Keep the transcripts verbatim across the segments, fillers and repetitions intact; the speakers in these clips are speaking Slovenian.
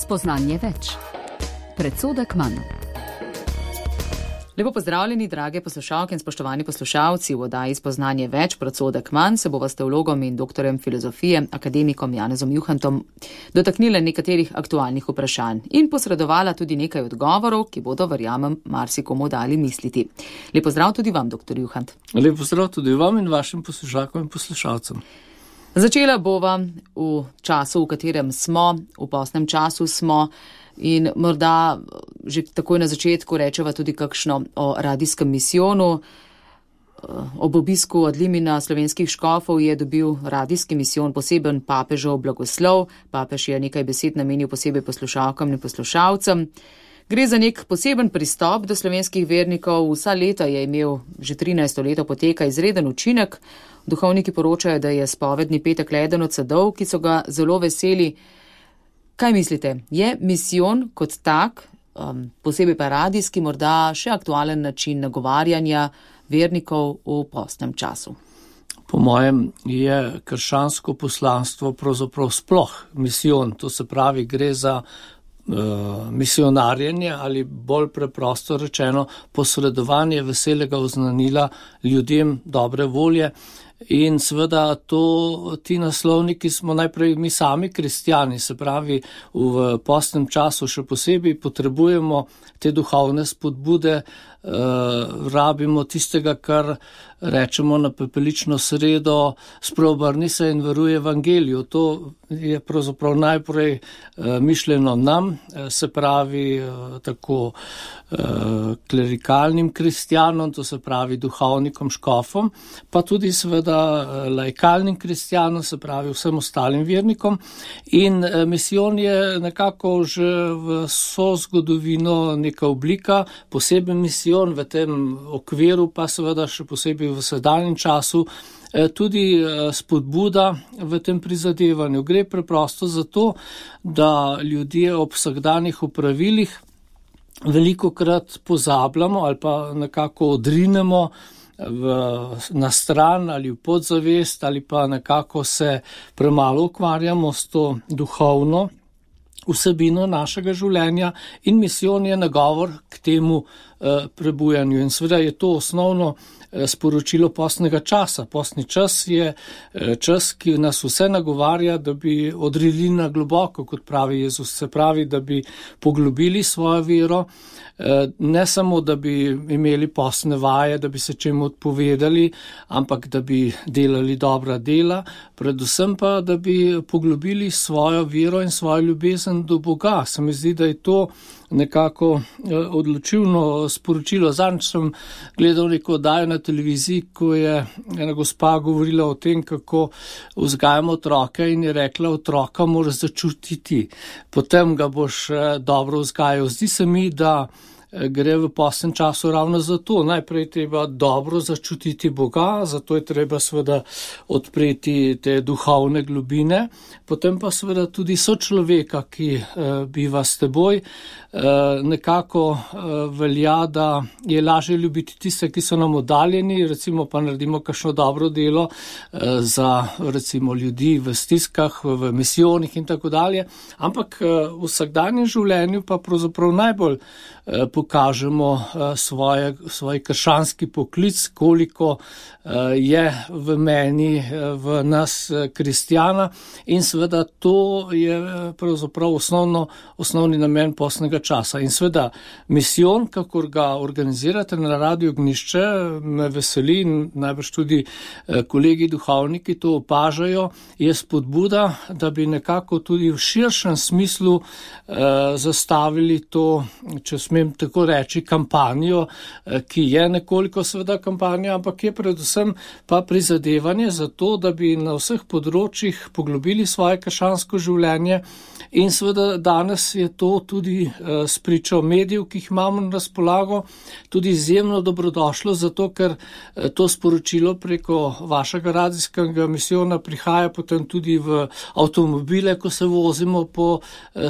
Spoznanje več. Predsodek manj. Lepo pozdravljeni, drage poslušalke in spoštovani poslušalci. V oddaji Spoznanje več, predsodek manj se bova s teologom in doktorjem filozofije, akademikom Janezom Juhantom, dotaknila nekaterih aktualnih vprašanj in posredovala tudi nekaj odgovorov, ki bodo, verjamem, marsikomu dali misliti. Lep pozdrav tudi vam, doktor Juhant. Lep pozdrav tudi vam in vašim poslušalkom in poslušalcem. Začela bova v času, v katerem smo, v postnem času smo, in morda že takoj na začetku rečeva tudi kakšno o radijskem misijonu. Ob obisku od Limina slovenskih škofov je dobil radijski misijon poseben papežov blagoslov. Papež je nekaj besed namenil posebej poslušalkam in poslušalcem. Gre za nek poseben pristop do slovenskih vernikov. Vsa leta je imel, že trinajsto leto poteka, izreden učinek. Duhovniki poročajo, da je spovedni petek le eden od sadov, ki so ga zelo veseli. Kaj mislite, je misijon kot tak, um, posebej pa radijski, morda še aktualen način nagovarjanja vernikov v postnem času? Po mojem je krščansko poslanstvo pravzaprav sploh misijon, to se pravi, gre za uh, misionarjenje ali bolj preprosto rečeno posredovanje veselega oznanila ljudem dobre volje. In seveda to, ti naslovniki smo najprej mi sami kristjani, se pravi v postnem času še posebej potrebujemo te duhovne spodbude, uh, rabimo tistega, kar rečemo na pepelično sredo, spreobrni se in veruj evangeliju. To je pravzaprav najprej uh, mišljeno nam, se pravi uh, tako uh, klerikalnim kristjanom, to se pravi duhovnikom, škofom, pa tudi seveda laikalnim kristjanom, se pravi vsem ostalim vernikom. In misijon je nekako že v vso zgodovino neka oblika, poseben misijon v tem okviru, pa seveda še posebej v sedanjem času, tudi spodbuda v tem prizadevanju. Gre preprosto za to, da ljudje ob vsakdanjih opravilih velikokrat pozabljamo ali pa nekako odrinemo V, na stran ali v podzavest ali pa nekako se premalo ukvarjamo s to duhovno vsebino našega življenja in misijon je nagovor k temu eh, prebujanju. In seveda je to osnovno eh, sporočilo postnega časa. Postni čas je eh, čas, ki nas vse nagovarja, da bi odrili na globoko, kot pravi Jezus, se pravi, da bi poglobili svojo vero, eh, ne samo, da bi imeli postne vaje, da bi se čemu odpovedali, ampak da bi delali dobra dela, predvsem pa, da bi poglobili svojo vero in svojo ljubezen do Boga. Se mi zdi, da je to nekako odločilno sporočilo. Zadnjič sem gledal neko oddajo na televiziji, ko je ena gospa govorila o tem, kako vzgajamo otroke in je rekla, otroka moraš začutiti, potem ga boš dobro vzgajal. Zdi se mi, da gre v postnem času ravno za to. Najprej treba dobro začutiti Boga, zato je treba seveda odpreti te duhovne globine, potem pa seveda tudi sočloveka, ki eh, biva s teboj. Eh, nekako eh, velja, da je lažje ljubiti tiste, ki so nam oddaljeni, recimo pa naredimo kakšno dobro delo eh, za recimo ljudi v stiskah, v misijonih in tako dalje, ampak eh, v vsakdanjem življenju pa pravzaprav najbolj eh, pokažemo svoje, svoj krščanski poklic, koliko je v meni, v nas kristjana in seveda to je pravzaprav osnovno, osnovni namen postnega časa. In seveda misijon, kakor ga organizirate na Radiu Ognjišče, me veseli in najbrž tudi kolegi duhovniki to opažajo, je spodbuda, da bi nekako tudi v širšem smislu eh, zastavili to, če smem tako reči, kampanjo, ki je nekoliko seveda kampanja, ampak je predvsem pa prizadevanje za to, da bi na vseh področjih poglobili svoje krščansko življenje in seveda danes je to tudi spričo medijev, ki jih imamo na razpolago, tudi izjemno dobrodošlo, zato ker to sporočilo preko vašega radijskega misijona prihaja potem tudi v avtomobile, ko se vozimo po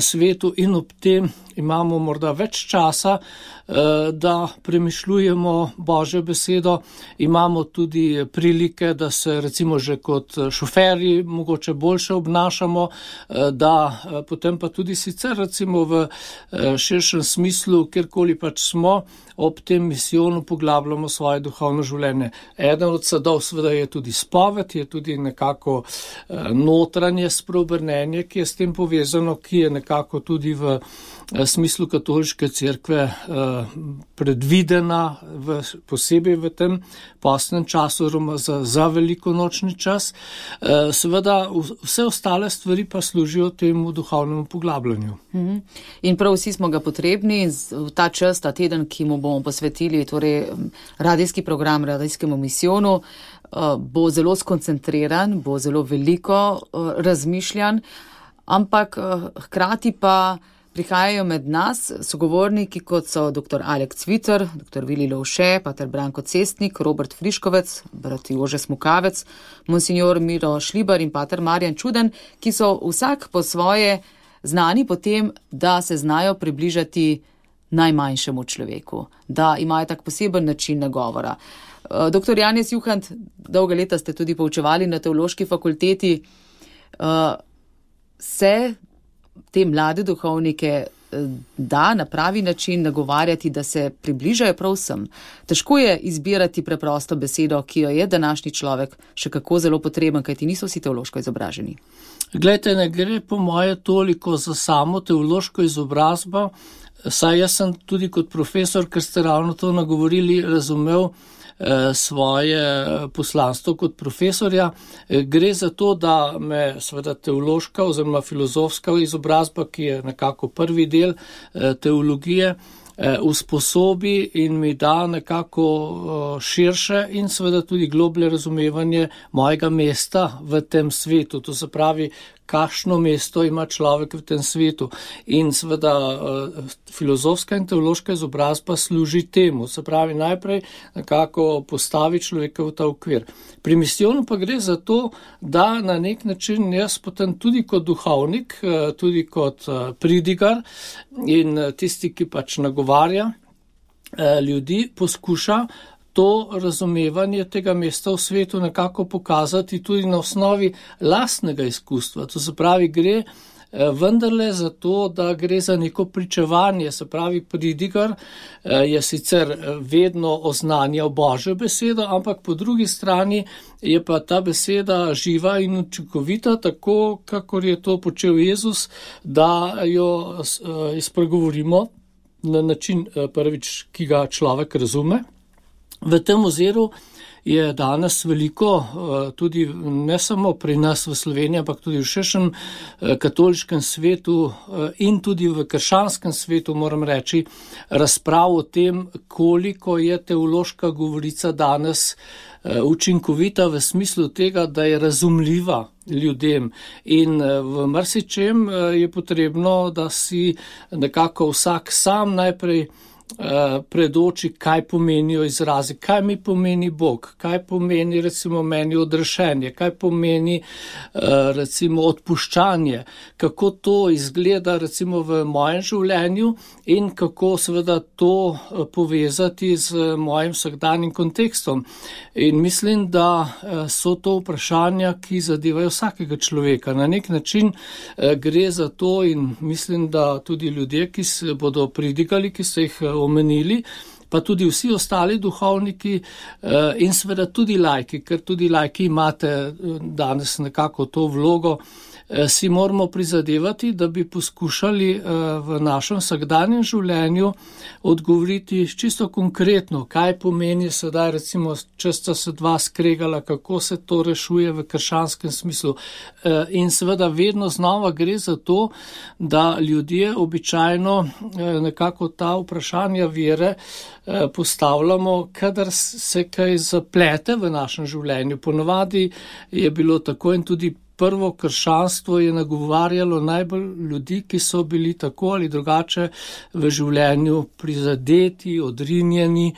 svetu in ob tem imamo morda več časa da premišljujemo Božjo besedo. Imamo tudi prilike, da se recimo že kot šoferji mogoče boljše obnašamo, da potem pa tudi sicer recimo v širšem smislu, kjerkoli pač smo, ob tem misijonu poglabljamo svoje duhovno življenje. Eden od sadov seveda je tudi spoved, je tudi nekako notranje spreobrnenje, ki je s tem povezano, ki je nekako tudi v smislu katoliške cerkve predvidena v, posebej v tem postnem času, za, za velikonočni čas. Seveda vse ostale stvari pa služijo temu duhovnemu poglabljanju. In prav vsi smo ga potrebni v ta čas, ta teden, ki mu bomo posvetili, torej radijski program radijskemu misijonu, bo zelo skoncentriran, bo zelo veliko razmišljan, ampak hkrati pa prihajajo med nas sogovorniki, kot so dr. Alek Cviter, dr. Vili Lovše, pater Branko Cestnik, Robert Friškovec, brat Jože Smukavec, monsignor Miro Šlibar in pater Marjan Čuden, ki so vsak po svoje znani po tem, da se znajo približati najmanjšemu človeku, da imajo tak poseben način nagovora. Doktor Janez Juhant, dolga leta ste tudi poučevali na teološki fakulteti, se te mlade duhovnike da na pravi način nagovarjati, da se približajo prav vsem. Težko je izbirati preprosto besedo, ki jo je današnji človek še kako zelo potreben, kajti niso vsi teološko izobraženi. Glejte, ne gre po moje toliko za samo teološko izobrazbo, saj jaz sem tudi kot profesor, ker ste ravno to nagovorili, razumel svoje poslanstvo kot profesorja. Gre za to, da me seveda teološka oziroma filozofska izobrazba, ki je nekako prvi del teologije, usposobi in mi da nekako širše in seveda tudi globlje razumevanje mojega mesta v tem svetu. To se pravi, kakšno mesto ima človek v tem svetu. In seveda filozofska in teološka izobrazba služi temu. Se pravi, najprej nekako postavi človeka v ta okvir. Pri misijonu pa gre za to, da na nek način jaz potem tudi kot duhovnik, tudi kot pridigar in tisti, ki pač nagovarja ljudi, poskuša to razumevanje tega mesta v svetu nekako pokazati tudi na osnovi lastnega izkustva. To se pravi, gre vendarle za to, da gre za neko pričevanje. Se pravi, pridigar je sicer vedno oznanjal Božjo besedo, ampak po drugi strani je pa ta beseda živa in učinkovita, tako kakor je to počel Jezus, da jo izpregovorimo na način prvič, ki ga človek razume. V tem oziru je danes veliko, tudi ne samo pri nas v Sloveniji, ampak tudi v širšem katoliškem svetu in tudi v krščanskem svetu, moram reči, razprav o tem, koliko je teološka govorica danes učinkovita v smislu tega, da je razumljiva ljudem. In v marsičem je potrebno, da si nekako vsak sam najprej predoči, kaj pomenijo izrazi, kaj mi pomeni Bog, kaj pomeni recimo meni odrešenje, kaj pomeni recimo odpuščanje, kako to izgleda recimo v mojem življenju in kako seveda to povezati z mojim vsakdanjim kontekstom. In mislim, da so to vprašanja, ki zadevajo vsakega človeka. Na nek način gre za to in mislim, da tudi ljudje, ki se bodo pridigali, ki se jih omenili, pa tudi vsi ostali duhovniki in seveda tudi laiki, ker tudi laiki imate danes nekako to vlogo, si moramo prizadevati, da bi poskušali v našem vsakdanjem življenju odgovoriti čisto konkretno, kaj pomeni sedaj recimo, če sta se dva skregala, kako se to rešuje v krščanskem smislu. In seveda vedno znova gre za to, da ljudje običajno nekako ta vprašanja vere postavljamo, kadar se kaj zaplete v našem življenju. Ponovadi je bilo tako in tudi prvo krščanstvo je nagovarjalo najbolj ljudi, ki so bili tako ali drugače v življenju prizadeti, odrinjeni,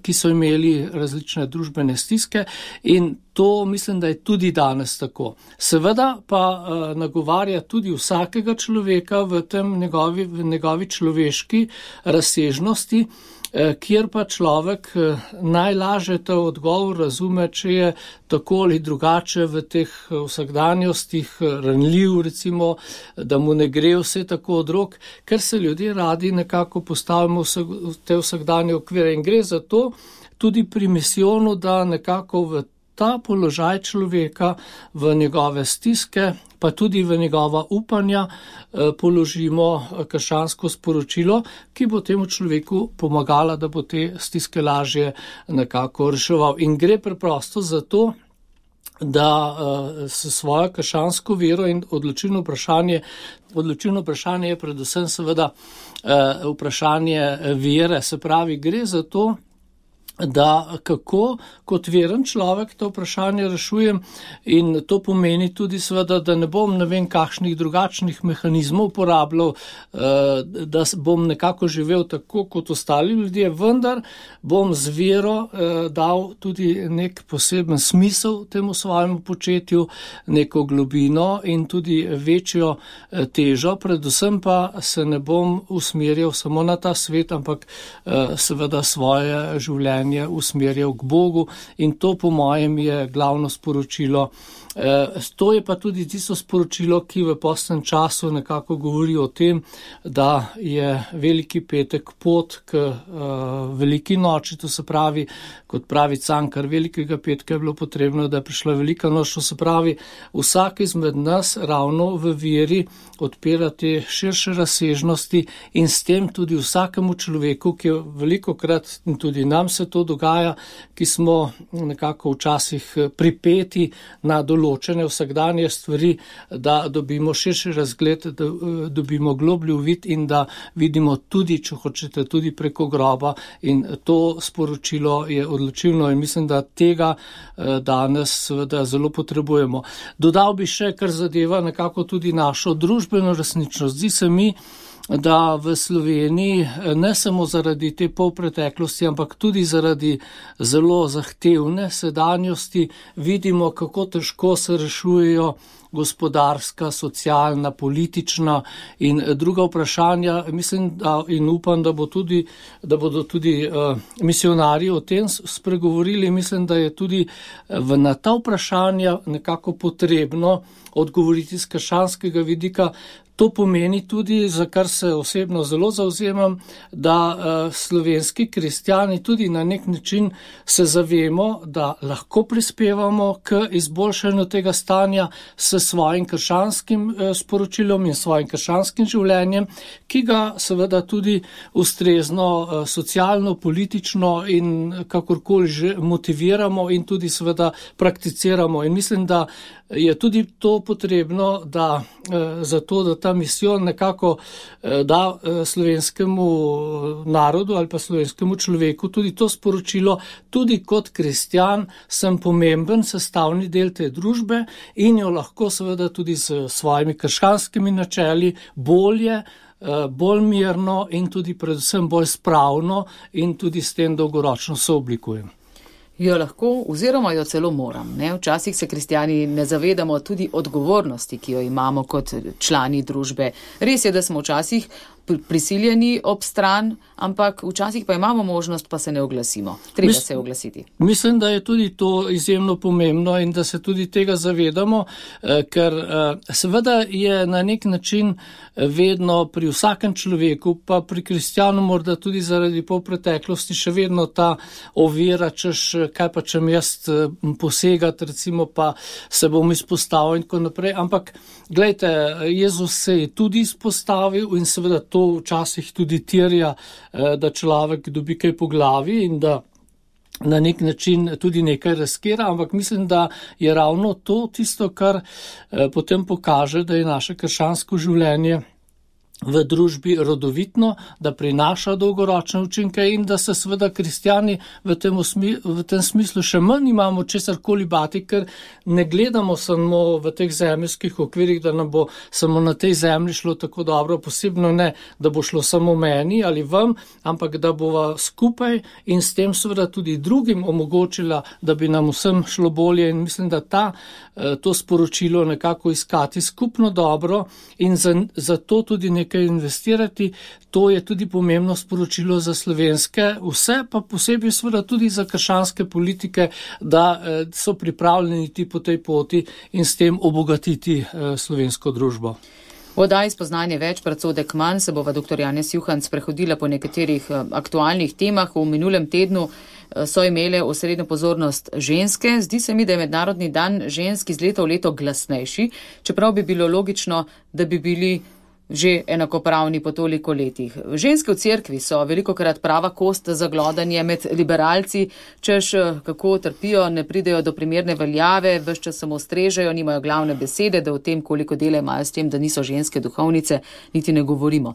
ki so imeli različne družbene stiske, in to mislim, da je tudi danes tako. Seveda pa nagovarja tudi vsakega človeka v tem njegovi, v njegovi človeški razsežnosti, kjer pa človek najlažje ta odgovor razume, če je tako ali drugače v teh vsakdanjostih ranljiv, recimo, da mu ne gre vse tako od rok, ker se ljudje radi nekako postavimo v te vsakdanje okvire. In gre za to tudi pri misijonu, da nekako v ta položaj človeka, v njegove stiske, pa tudi v njegova upanja položimo krščansko sporočilo, ki bo temu človeku pomagala, da bo te stiske lažje nekako reševal. In gre preprosto za to, da s svojo krščansko vero in odločilno vprašanje, odločilno vprašanje je predvsem seveda vprašanje vere, se pravi, gre za to, da kako kot veren človek to vprašanje rešujem, in to pomeni tudi seveda, da ne bom ne vem kakšnih drugačnih mehanizmov uporabljal, da bom nekako živel tako kot ostali ljudje, vendar bom z vero dal tudi nek poseben smisel temu svojemu početju, neko globino in tudi večjo težo, predvsem pa se ne bom usmerjal samo na ta svet, ampak seveda svoje življenje usmerjal k Bogu, in to po mojem je glavno sporočilo. To je pa tudi tisto sporočilo, ki v postnem času nekako govori o tem, da je veliki petek pot k veliki noči, to se pravi, kot pravi Cankar, velikega petka je bilo potrebno, da je prišla velika noč, to se pravi, vsak izmed nas ravno v veri odpira te širše razsežnosti in s tem tudi vsakemu človeku, ki je velikokrat, in tudi nam se to dogaja, ki smo nekako včasih pripeti na določene vsakdanje stvari, da dobimo širši razgled, da dobimo globlji uvid in da vidimo tudi, če hočete, tudi preko groba, in to sporočilo je odločilno in mislim, da tega danes seveda zelo potrebujemo. Dodal bi še, kar zadeva nekako tudi našo družbeno resničnost. Zdi se mi, da v Sloveniji ne samo zaradi te polpreteklosti, ampak tudi zaradi zelo zahtevne sedanjosti vidimo, kako težko se rešujejo gospodarska, socialna, politična in druga vprašanja. Mislim, da in upam, da bo tudi, da bodo tudi uh, misionarji o tem spregovorili. Mislim, da je tudi v, na ta vprašanja nekako potrebno odgovoriti z krščanskega vidika. To pomeni tudi, za kar se osebno zelo zavzemam, da uh, slovenski kristjani tudi na nek način se zavemo, da lahko prispevamo k izboljšanju tega stanja s svojim krščanskim uh, sporočilom in svojim krščanskim življenjem, ki ga seveda tudi ustrezno uh, socialno, politično in kakorkoli že motiviramo in tudi seveda prakticiramo. In mislim, da je tudi to potrebno, da uh, zato, da ta misijon nekako uh, da uh, slovenskemu narodu ali pa slovenskemu človeku tudi to sporočilo, tudi kot kristjan sem pomemben sestavni del te družbe in jo lahko seveda tudi s svojimi krščanskimi načeli bolje, uh, bolj mirno in tudi predvsem bolj spravno in tudi s tem dolgoročno sooblikujem. Jo lahko oziroma jo celo moram. Ne? Včasih se kristjani ne zavedamo tudi odgovornosti, ki jo imamo kot člani družbe. Res je, da smo včasih prisiljeni ob stran, ampak včasih pa imamo možnost, pa se ne oglasimo. Treba Mis, se oglasiti. Mislim, da je tudi to izjemno pomembno in da se tudi tega zavedamo, ker seveda je na nek način vedno pri vsakem človeku, pa pri kristjanu morda tudi zaradi polpreteklosti še vedno ta ovira, češ kaj pa čem jaz posegati, recimo pa se bom izpostavil in tako naprej. Ampak glejte, Jezus se je tudi izpostavil in seveda to včasih tudi terja, da človek dobi kaj po glavi in da na nek način tudi nekaj riskira, ampak mislim, da je ravno to tisto, kar potem pokaže, da je naše krščansko življenje v družbi rodovitno, da prinaša dolgoročne učinke in da se seveda kristjani v tem, v tem smislu še manj imamo česarkoli bati, ker ne gledamo samo v teh zemeljskih okvirih, da nam bo samo na tej zemlji šlo tako dobro, posebno ne, da bo šlo samo meni ali vam, ampak da bova skupaj in s tem seveda tudi drugim omogočila, da bi nam vsem šlo bolje in mislim, da ta, to sporočilo nekako iskati skupno dobro in za, za to tudi nekaj investirati, to je tudi pomembno sporočilo za slovenske, vse pa posebej seveda tudi za krščanske politike, da so pripravljeni iti po tej poti in s tem obogatiti slovensko družbo. V oddaji Spoznanje več, predsodek manj se bova dr. Janez Juhanc prehodila po nekaterih aktualnih temah. V minulem tednu so imele osrednjo pozornost ženske. Zdi se mi, da je mednarodni dan žensk iz leta v leto glasnejši, čeprav bi bilo logično, da bi bili že enakopravni po toliko letih. Ženske v cerkvi so velikokrat prava kost za glodanje med liberalci, češ kako trpijo, ne pridejo do primerne veljave, ves čas samo strežejo, nimajo glavne besede, da o tem, koliko dela imajo s tem, da niso ženske duhovnice, niti ne govorimo.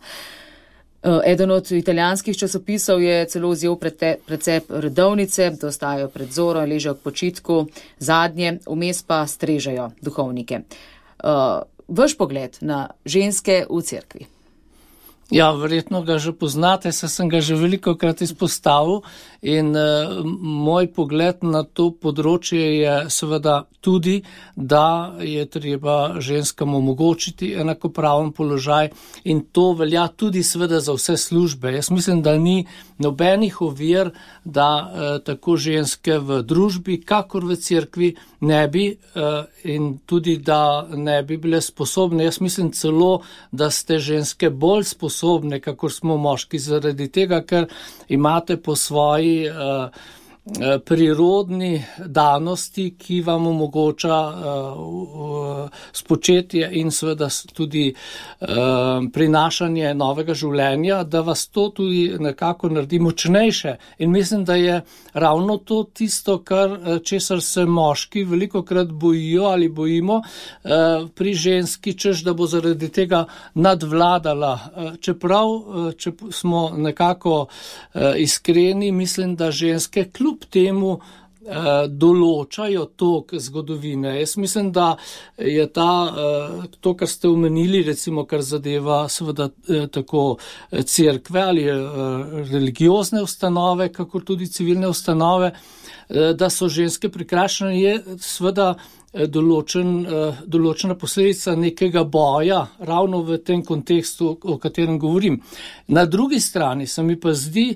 Eden od italijanskih časopisov je celo vzel precep redovnice, da ostajajo pred zoro, ležejo k počitku, zadnje, vmes pa strežejo duhovnike. Vaš pogled na ženske v cerkvi? Ja, verjetno ga že poznate, saj sem ga že velikokrat izpostavil in uh, moj pogled na to področje je seveda tudi, da je treba ženskam omogočiti enakopraven položaj in to velja tudi seveda za vse službe. Jaz mislim, da ni nobenih ovir, da uh, tako ženske v družbi, kakor v cerkvi ne bi uh, in tudi, da ne bi bile sposobne. Jaz mislim celo, da ste ženske bolj sposobne, kakor smo moški, zaradi tega, ker imate po svoji uh, prirodni danosti, ki vam omogoča uh, spočetje in seveda tudi uh, prinašanje novega življenja, da vas to tudi nekako naredi močnejše. In mislim, da je ravno to tisto, kar česar se moški velikokrat bojijo ali bojimo uh, pri ženski, češ da bo zaradi tega nadvladala. Uh, čeprav, uh, če smo nekako uh, iskreni, mislim, da ženske kljub temu eh, določajo tok zgodovine. Jaz mislim, da je ta, eh, to, kar ste omenili, recimo, kar zadeva seveda eh, tako cerkve ali eh, religiozne ustanove, kakor tudi civilne ustanove, eh, da so ženske prikrajšane, je seveda Določen, določena posledica nekega boja, ravno v tem kontekstu, o katerem govorim. Na drugi strani se mi pa zdi,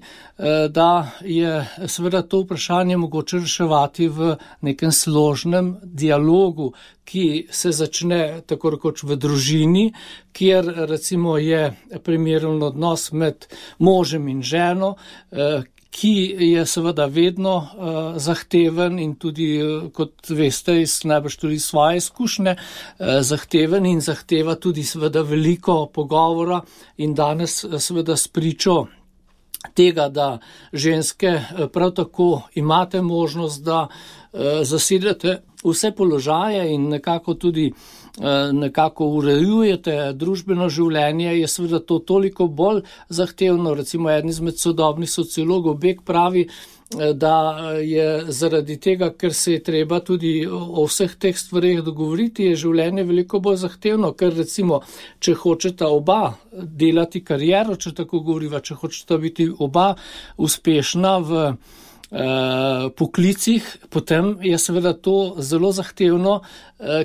da je seveda to vprašanje mogoče reševati v nekem složnem dialogu, ki se začne tako rekoč v družini, kjer recimo je primeren odnos med možem in ženo, ki je seveda vedno uh, zahteven in tudi, uh, kot veste, iz najbrž tudi svoje izkušnje, uh, zahteven in zahteva tudi seveda veliko pogovora in danes uh, seveda spričo tega, da ženske uh, prav tako imate možnost, da uh, zasedete vse položaje in nekako tudi nekako urejujete družbeno življenje, je seveda to toliko bolj zahtevno. Recimo eden izmed sodobnih sociologov Beck pravi, da je zaradi tega, ker se je treba tudi o vseh teh stvareh dogovoriti, je življenje veliko bolj zahtevno, ker recimo, če hočeta oba delati kariero, če tako govoriva, če hočeta biti oba uspešna v poklicih, potem je seveda to zelo zahtevno,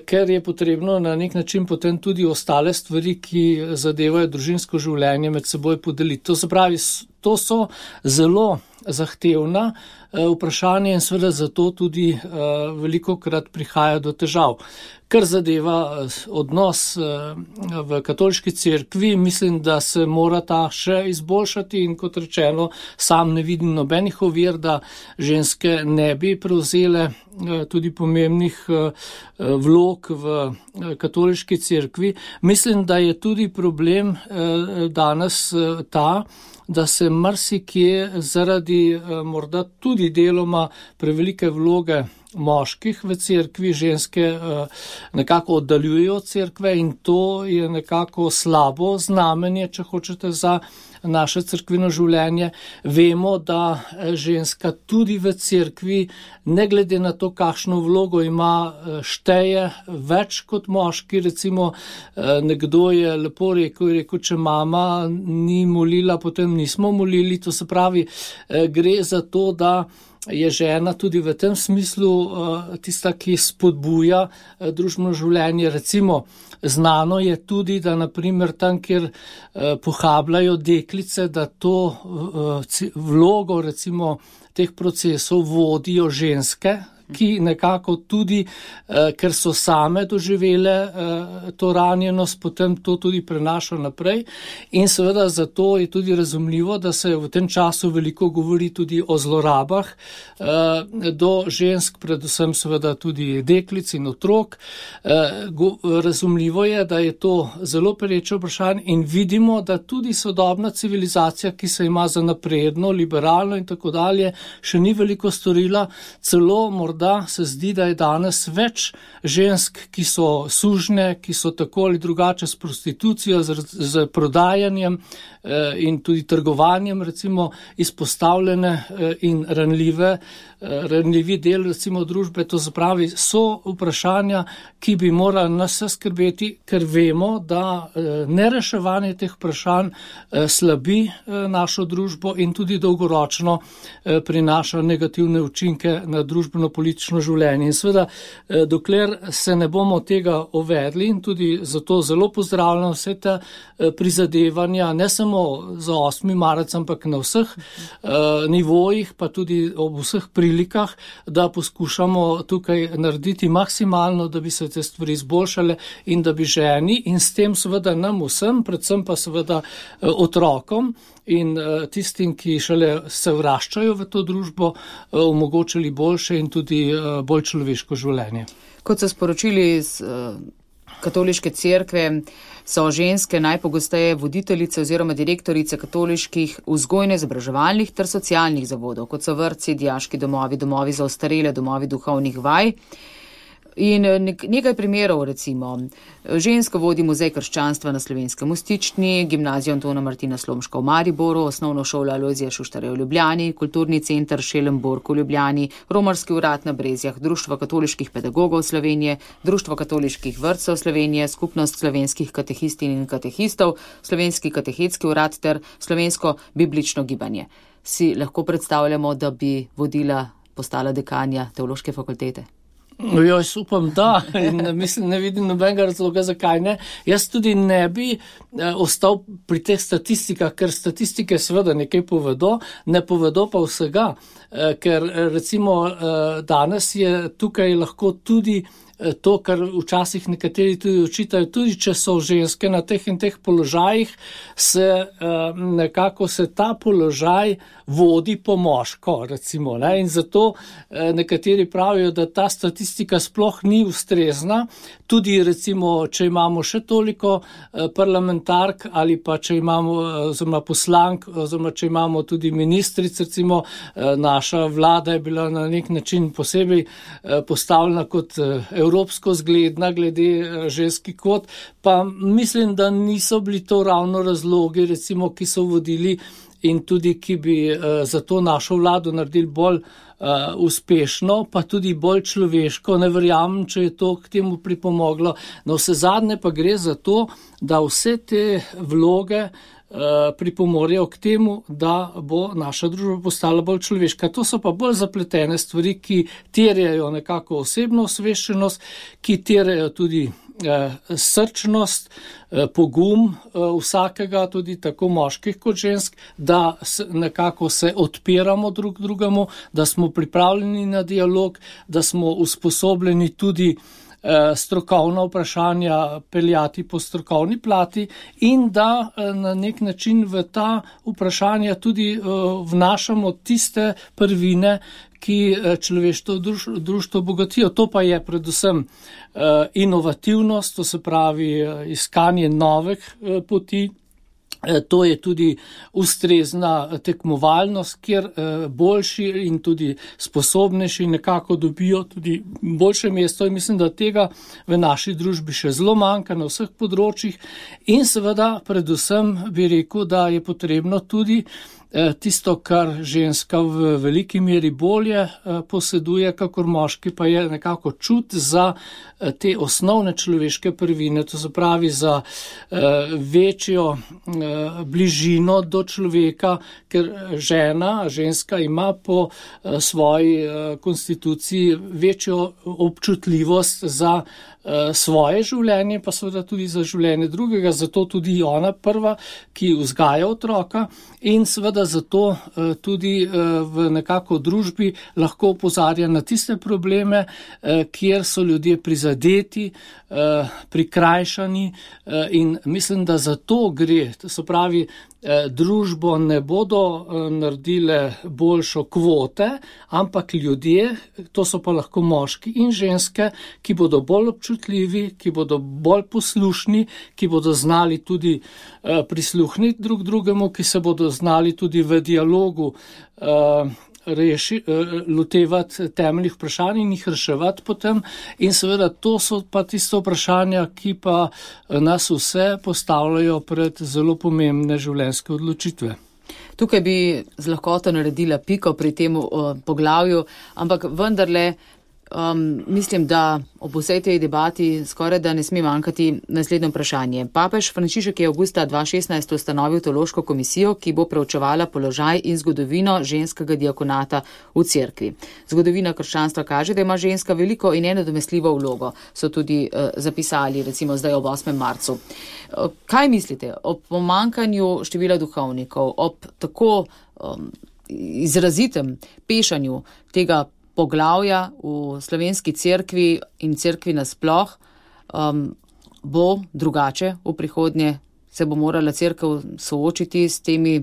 ker je potrebno na nek način potem tudi ostale stvari, ki zadevajo družinsko življenje, med seboj podeliti. To se pravi, to so zelo zahtevna vprašanja in seveda zato tudi velikokrat prihaja do težav. Kar zadeva odnos v katoliški cerkvi, mislim, da se mora ta še izboljšati in kot rečeno, sam ne vidim nobenih ovir, da ženske ne bi prevzele tudi pomembnih vlog v katoliški cerkvi. Mislim, da je tudi problem danes ta, da se marsikje zaradi morda tudi deloma prevelike vloge moških v cerkvi, ženske nekako oddaljujejo od cerkve in to je nekako slabo znamenje, če hočete, za naše cerkveno življenje. Vemo, da ženska tudi v cerkvi, ne glede na to, kakšno vlogo ima, šteje več kot moški. Recimo, nekdo je lepo rekel, je rekel, če mama ni molila, potem nismo molili. To se pravi, gre za to, da je žena tudi v tem smislu tista, ki spodbuja družbeno življenje. Recimo, znano je tudi, da naprimer tam, kjer pohabljajo deklice, da to vlogo recimo teh procesov vodijo ženske, ki nekako tudi, ker so same doživele to ranjenost, potem to tudi prenaša naprej. In seveda zato je tudi razumljivo, da se v tem času veliko govori tudi o zlorabah do žensk, predvsem seveda tudi deklic in otrok. Razumljivo je, da je to zelo pereče vprašanje in vidimo, da tudi sodobna civilizacija, ki se ima za napredno, liberalno in tako dalje, še ni veliko storila, celo morda da se zdi, da je danes več žensk, ki so sužne, ki so tako ali drugače s prostitucijo, z, z prodajanjem eh, in tudi trgovanjem recimo izpostavljene eh, in ranljive, eh, ranljivi del recimo družbe. To zapravi, so vprašanja, ki bi morali nas vse skrbeti, ker vemo, da eh, nereševanje teh vprašanj eh, slabi eh, našo družbo in tudi dolgoročno eh, prinaša negativne učinke na družbeno politiko življenje. In seveda, dokler se ne bomo tega uvedli in tudi zato zelo pozdravljam vse te prizadevanja, ne samo za osmi marec, ampak na vseh uh, nivojih, pa tudi ob vseh prilikah, da poskušamo tukaj narediti maksimalno, da bi se te stvari izboljšale in da bi ženi in s tem seveda nam vsem, predvsem pa seveda uh, otrokom in uh, tistim, ki šele se vraščajo v to družbo, uh, omogočili boljše in tudi uh, bolj človeško življenje. Kot so sporočili iz uh, katoliške cerkve, so ženske najpogosteje voditeljice oziroma direktorice katoliških vzgojno-izobraževalnih ter socialnih zavodov, kot so vrtci, dijaški domovi, domovi za ostarele, domovi duhovnih vaj. In nekaj primerov, recimo, ženska vodi Muzej krščanstva na Slovenskem v Stični, gimnazijo Antona Martina Slomška v Mariboru, osnovno šolo Alojzija Šuštarja v Ljubljani, kulturni center Šelenburg v Ljubljani, romarski urad na Brezjah, Društvo katoliških pedagogov Slovenije, Društvo katoliških vrtcev Slovenije, Skupnost slovenskih katehistin in katehistov, Slovenski katehetski urad ter Slovensko biblično gibanje. Si lahko predstavljamo, da bi vodila, postala dekanja teološke fakultete? No, jaz upam, da, in mislim, ne vidim nobenega razloga, zakaj ne. Jaz tudi ne bi eh, ostal pri teh statistikah, ker statistike seveda nekaj povedo, ne povedo pa vsega, eh, ker recimo eh, danes je tukaj lahko tudi to, kar včasih nekateri tudi očitajo, tudi če so ženske na teh in teh položajih, se nekako se ta položaj vodi po moško, recimo, ne? In zato nekateri pravijo, da ta statistika sploh ni ustrezna, tudi recimo, če imamo še toliko parlamentark ali pa če imamo oziroma poslank, oziroma če imamo tudi ministric, recimo naša vlada je bila na nek način posebej postavljena kot evropsko zgledna glede ženski kvot, pa mislim, da niso bili to ravno razlogi, recimo, ki so vodili in tudi, ki bi uh, za to našo vlado naredili bolj uh, uspešno, pa tudi bolj človeško. Ne verjamem, če je to k temu pripomoglo. Na vse zadnje pa gre za to, da vse te vloge uh, pripomorejo k temu, da bo naša družba postala bolj človeška. To so pa bolj zapletene stvari, ki terjajo nekako osebno osveščenost, ki terjajo tudi eh, srčnost, eh, pogum eh, vsakega, tudi tako moških kot žensk, da se, nekako se odpiramo drug drugemu, da smo pripravljeni na dialog, da smo usposobljeni tudi strokovna vprašanja peljati po strokovni plati in da na nek način v ta vprašanja tudi vnašamo tiste prvine, ki človeštvo društvo bogatijo. To pa je predvsem inovativnost, to se pravi iskanje novih poti, To je tudi ustrezna tekmovalnost, kjer boljši in tudi sposobnejši nekako dobijo tudi boljše mesto in mislim, da tega v naši družbi še zelo manjka na vseh področjih in seveda predvsem bi rekel, da je potrebno tudi tisto, kar ženska v veliki meri bolje poseduje, kakor moški, pa je nekako čut za te osnovne človeške prvine, to se pravi za večjo bližino do človeka, ker žena, ženska ima po svoji konstituciji večjo občutljivost za svoje življenje, pa seveda tudi za življenje drugega, zato tudi ona prva, ki vzgaja otroka in seveda zato tudi v nekako družbi lahko opozarja na tiste probleme, kjer so ljudje prizadeti, prikrajšani in mislim, da za to gre, to se pravi, družbo ne bodo naredile boljšo kvote, ampak ljudje, to so pa lahko moški in ženske, ki bodo bolj občutljivi, ki bodo bolj poslušni, ki bodo znali tudi prisluhniti drug drugemu, ki se bodo znali tudi v dialogu reši, lotevati temeljnih vprašanj in jih reševati potem in seveda to so pa tiste vprašanja, ki pa nas vse postavljajo pred zelo pomembne življenjske odločitve. Tukaj bi z lahkoto naredila piko pri tem poglavju, ampak vendarle Um, mislim, da ob vsej tej debati skoraj da ne sme manjkati naslednje vprašanje. Papež Frančišek je avgusta dva tisoč šestnajst ustanovil teološko komisijo, ki bo preučevala položaj in zgodovino ženskega diakonata v cerkvi. Zgodovina krščanstva kaže, da ima ženska veliko in nenadomestljivo vlogo, so tudi uh, zapisali recimo zdaj ob osmem marcu. Uh, kaj mislite o pomanjkanju števila duhovnikov, ob tako um, izrazitem pešanju tega poglavja v slovenski cerkvi in cerkvi nasploh, um, bo drugače v prihodnje, se bo morala cerkev soočiti s temi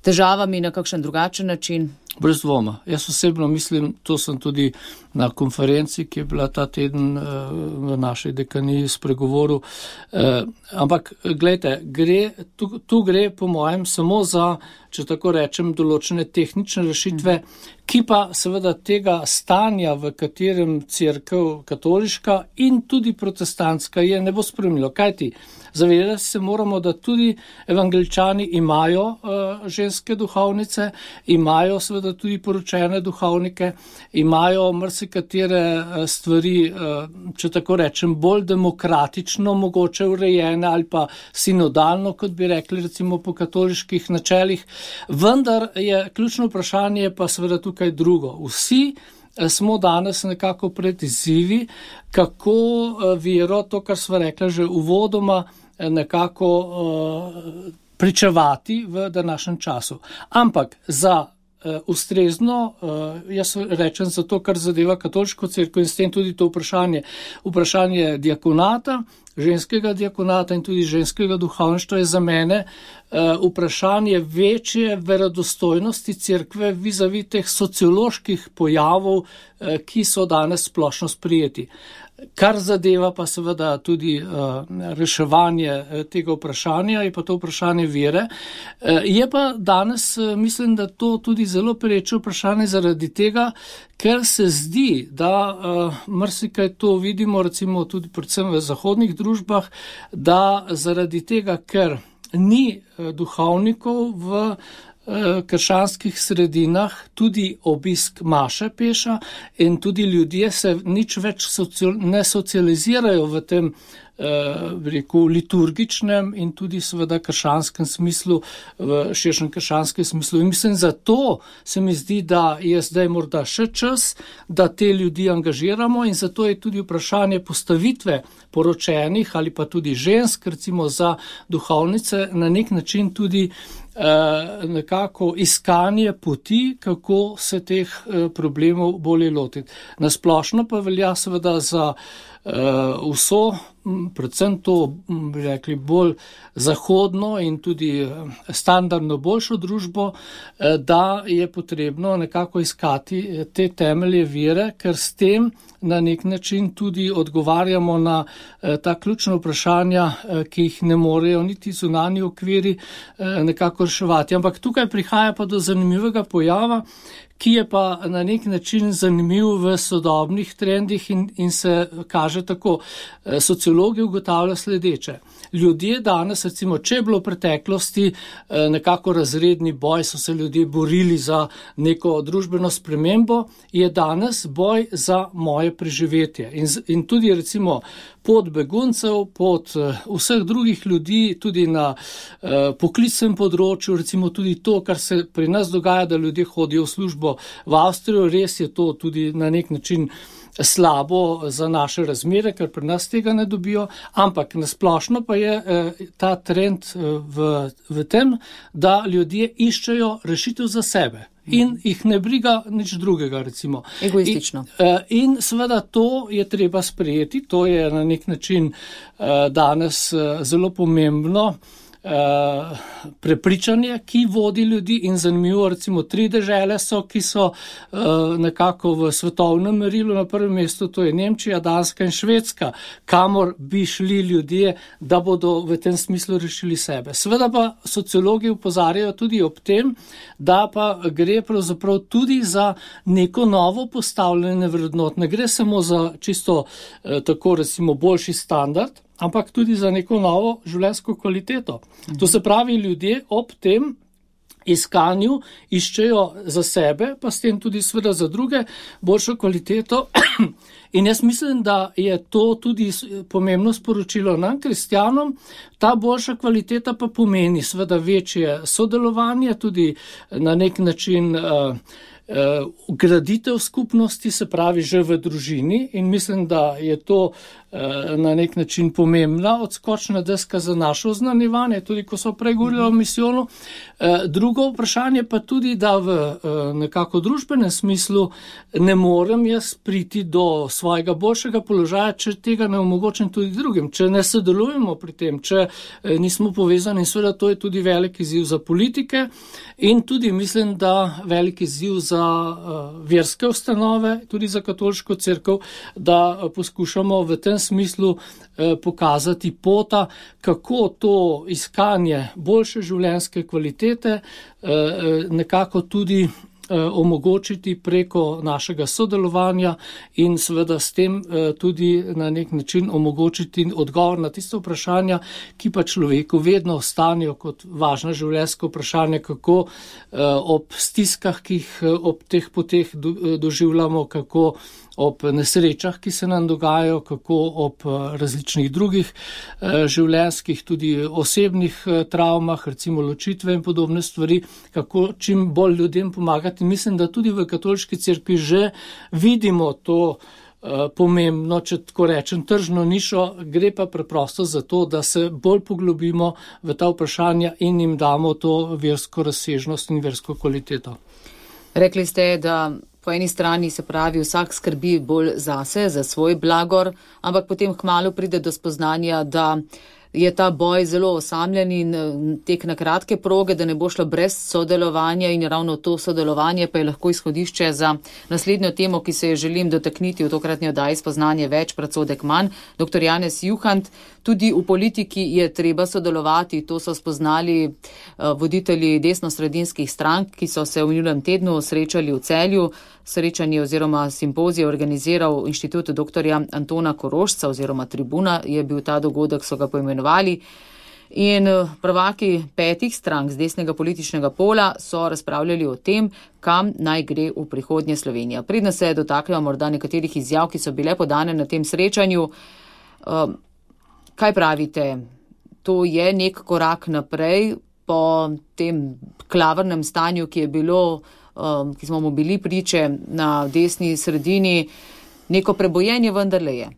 težavami na kakšen drugačen način? Brez dvoma. Jaz osebno mislim, to sem tudi na konferenci, ki je bila ta teden v naši dekaniji spregovoril, ampak gledajte, gre, tu, tu gre po mojem samo za, če tako rečem, določene tehnične rešitve, ki pa seveda tega stanja, v katerem cerkev katoliška in tudi protestantska je, ne bo spremljalo. Kaj ti? Zavedati se moramo, da tudi evangeličani imajo uh, ženske duhovnice, imajo seveda tudi poročene duhovnike, imajo marsikatere uh, stvari, uh, če tako rečem, bolj demokratično mogoče urejene ali pa sinodalno, kot bi rekli recimo po katoliških načelih. Vendar je ključno vprašanje pa seveda tukaj drugo. Vsi smo danes nekako pred izzivi, kako vero, to, kar sva rekla že uvodoma, nekako uh, pričevati v današnjem času. Ampak za uh, ustrezno, uh, jaz rečem za to, kar zadeva katoliško cerkev in s tem tudi to vprašanje, vprašanje diakonata, ženskega diakonata in tudi ženskega duhovništva je za mene uh, vprašanje večje verodostojnosti cerkve vis-a-vis teh socioloških pojavov, uh, ki so danes splošno sprijeti. Kar zadeva pa seveda tudi uh, reševanje uh, tega vprašanja, je pa to vprašanje vere. Uh, je pa danes, uh, mislim, da to tudi zelo pereče vprašanje zaradi tega, ker se zdi, da uh, marsikaj to vidimo, recimo tudi predvsem v zahodnih družbah, da zaradi tega, ker ni uh, duhovnikov v krščanskih sredinah, tudi obisk maše peša in tudi ljudje se nič več socio- ne socializirajo v tem eh, rekel, liturgičnem in tudi seveda krščanskem smislu, v širšem krščanskem smislu. In mislim, zato se mi zdi, da je zdaj morda še čas, da te ljudi angažiramo in zato je tudi vprašanje postavitve poročenih ali pa tudi žensk, recimo za duhovnice, na nek način tudi nekako iskanje poti, kako se teh problemov bolje lotiti. Nasplošno pa velja seveda za vso, predvsem to, bi rekli, bolj zahodno in tudi standardno boljšo družbo, da je potrebno nekako iskati te temelje vere, ker s tem na nek način tudi odgovarjamo na ta ključna vprašanja, ki jih ne morejo niti zunanji okviri nekako reševati. Ampak tukaj prihaja pa do zanimivega pojava, ki je pa na nek način zanimiv v sodobnih trendih in, in se kaže tako. Sociologi ugotavljajo sledeče. Ljudje danes, recimo, če je bilo v preteklosti nekako razredni boj, so se ljudje borili za neko družbeno spremembo, je danes boj za moje preživetje. In, in tudi, recimo, pot beguncev, pot vseh drugih ljudi, tudi na eh, poklicnem področju, recimo tudi to, kar se pri nas dogaja, da ljudje hodijo v službo v Avstrijo, res je to tudi na nek način slabo za naše razmere, ker pri nas tega ne dobijo, ampak nasplošno pa je eh, ta trend eh, v, v tem, da ljudje iščejo rešitev za sebe. In jih ne briga nič drugega, recimo. Egoistično. In, in seveda to je treba sprejeti, to je na nek način uh, danes uh, zelo pomembno uh, prepričanje, ki vodi ljudi in zanimivo, recimo tri dežele so, ki so uh, nekako v svetovnem merilu na prvem mestu, to je Nemčija, Danska in Švedska, kamor bi šli ljudje, da bodo v tem smislu rešili sebe. Seveda pa sociologi opozarjajo tudi ob tem, da pa gre pravzaprav tudi za neko novo postavljanje vrednot. Ne gre samo za čisto eh, tako recimo boljši standard, ampak tudi za neko novo življenjsko kvaliteto. Mhm. To se pravi, ljudje ob tem iskanju iščejo za sebe, pa s tem tudi seveda za druge boljšo kvaliteto. In jaz mislim, da je to tudi pomembno sporočilo nam, kristjanom. Ta boljša kvaliteta pa pomeni seveda večje sodelovanje, tudi na nek način uh, uh, graditev skupnosti, se pravi že v družini, in mislim, da je to uh, na nek način pomembna odskočna deska za naše oznanjevanje, tudi ko so prej govorili o misijonu. Uh, drugo vprašanje pa tudi, da v uh, nekako družbenem smislu ne morem jaz priti do svojega boljšega položaja, če tega ne omogočim tudi drugim, če ne sodelujemo pri tem, če nismo povezani. In seveda to je tudi velik izziv za politike in tudi mislim, da velik izziv za uh, verske ustanove, tudi za katoliško cerkev, da uh, poskušamo v tem smislu uh, pokazati pota, kako to iskanje boljše življenjske kvalitete uh, nekako tudi omogočiti preko našega sodelovanja in seveda s tem tudi na nek način omogočiti odgovor na tiste vprašanja, ki pa človeku vedno ostanejo kot važna življenjska vprašanja, kako ob stiskah, ki jih ob teh poteh doživljamo, kako ob nesrečah, ki se nam dogajajo, kako ob različnih drugih življenjskih, tudi osebnih travmah, recimo ločitve in podobne stvari, kako čim bolj ljudem pomagati. Mislim, da tudi v katoliški cerkvi že vidimo to pomembno, če tako rečem, tržno nišo, gre pa preprosto za to, da se bolj poglobimo v ta vprašanja in jim damo to versko razsežnost in versko kvaliteto. Rekli ste, da po eni strani se pravi, vsak skrbi bolj zase, za svoj blagor, ampak potem kmalu pride do spoznanja, da je ta boj zelo osamljen in tek na kratke proge, da ne bo šlo brez sodelovanja in ravno to sodelovanje pa je lahko izhodišče za naslednjo temo, ki se je želim dotakniti v tokratni oddaji Spoznanje več, predsodek manj. Doktor Janez Juhant, tudi v politiki je treba sodelovati, to so spoznali voditelji desno-sredinskih strank, ki so se v minulem tednu srečali v Celju. Srečanje oziroma simpozij je organiziral Inštitut doktorja Antona Korošca oziroma Tribuna je bil ta dogodek, so ga poimenovali. In prvaki petih strank z desnega političnega pola so razpravljali o tem, kam naj gre v prihodnje Slovenija. Predno se dotaknemo morda nekaterih izjav, ki so bile podane na tem srečanju. Kaj pravite? To je nek korak naprej po tem klavrnem stanju, ki je bilo, ki smo mu bili priče na desni sredini, neko prebojenje vendarle je.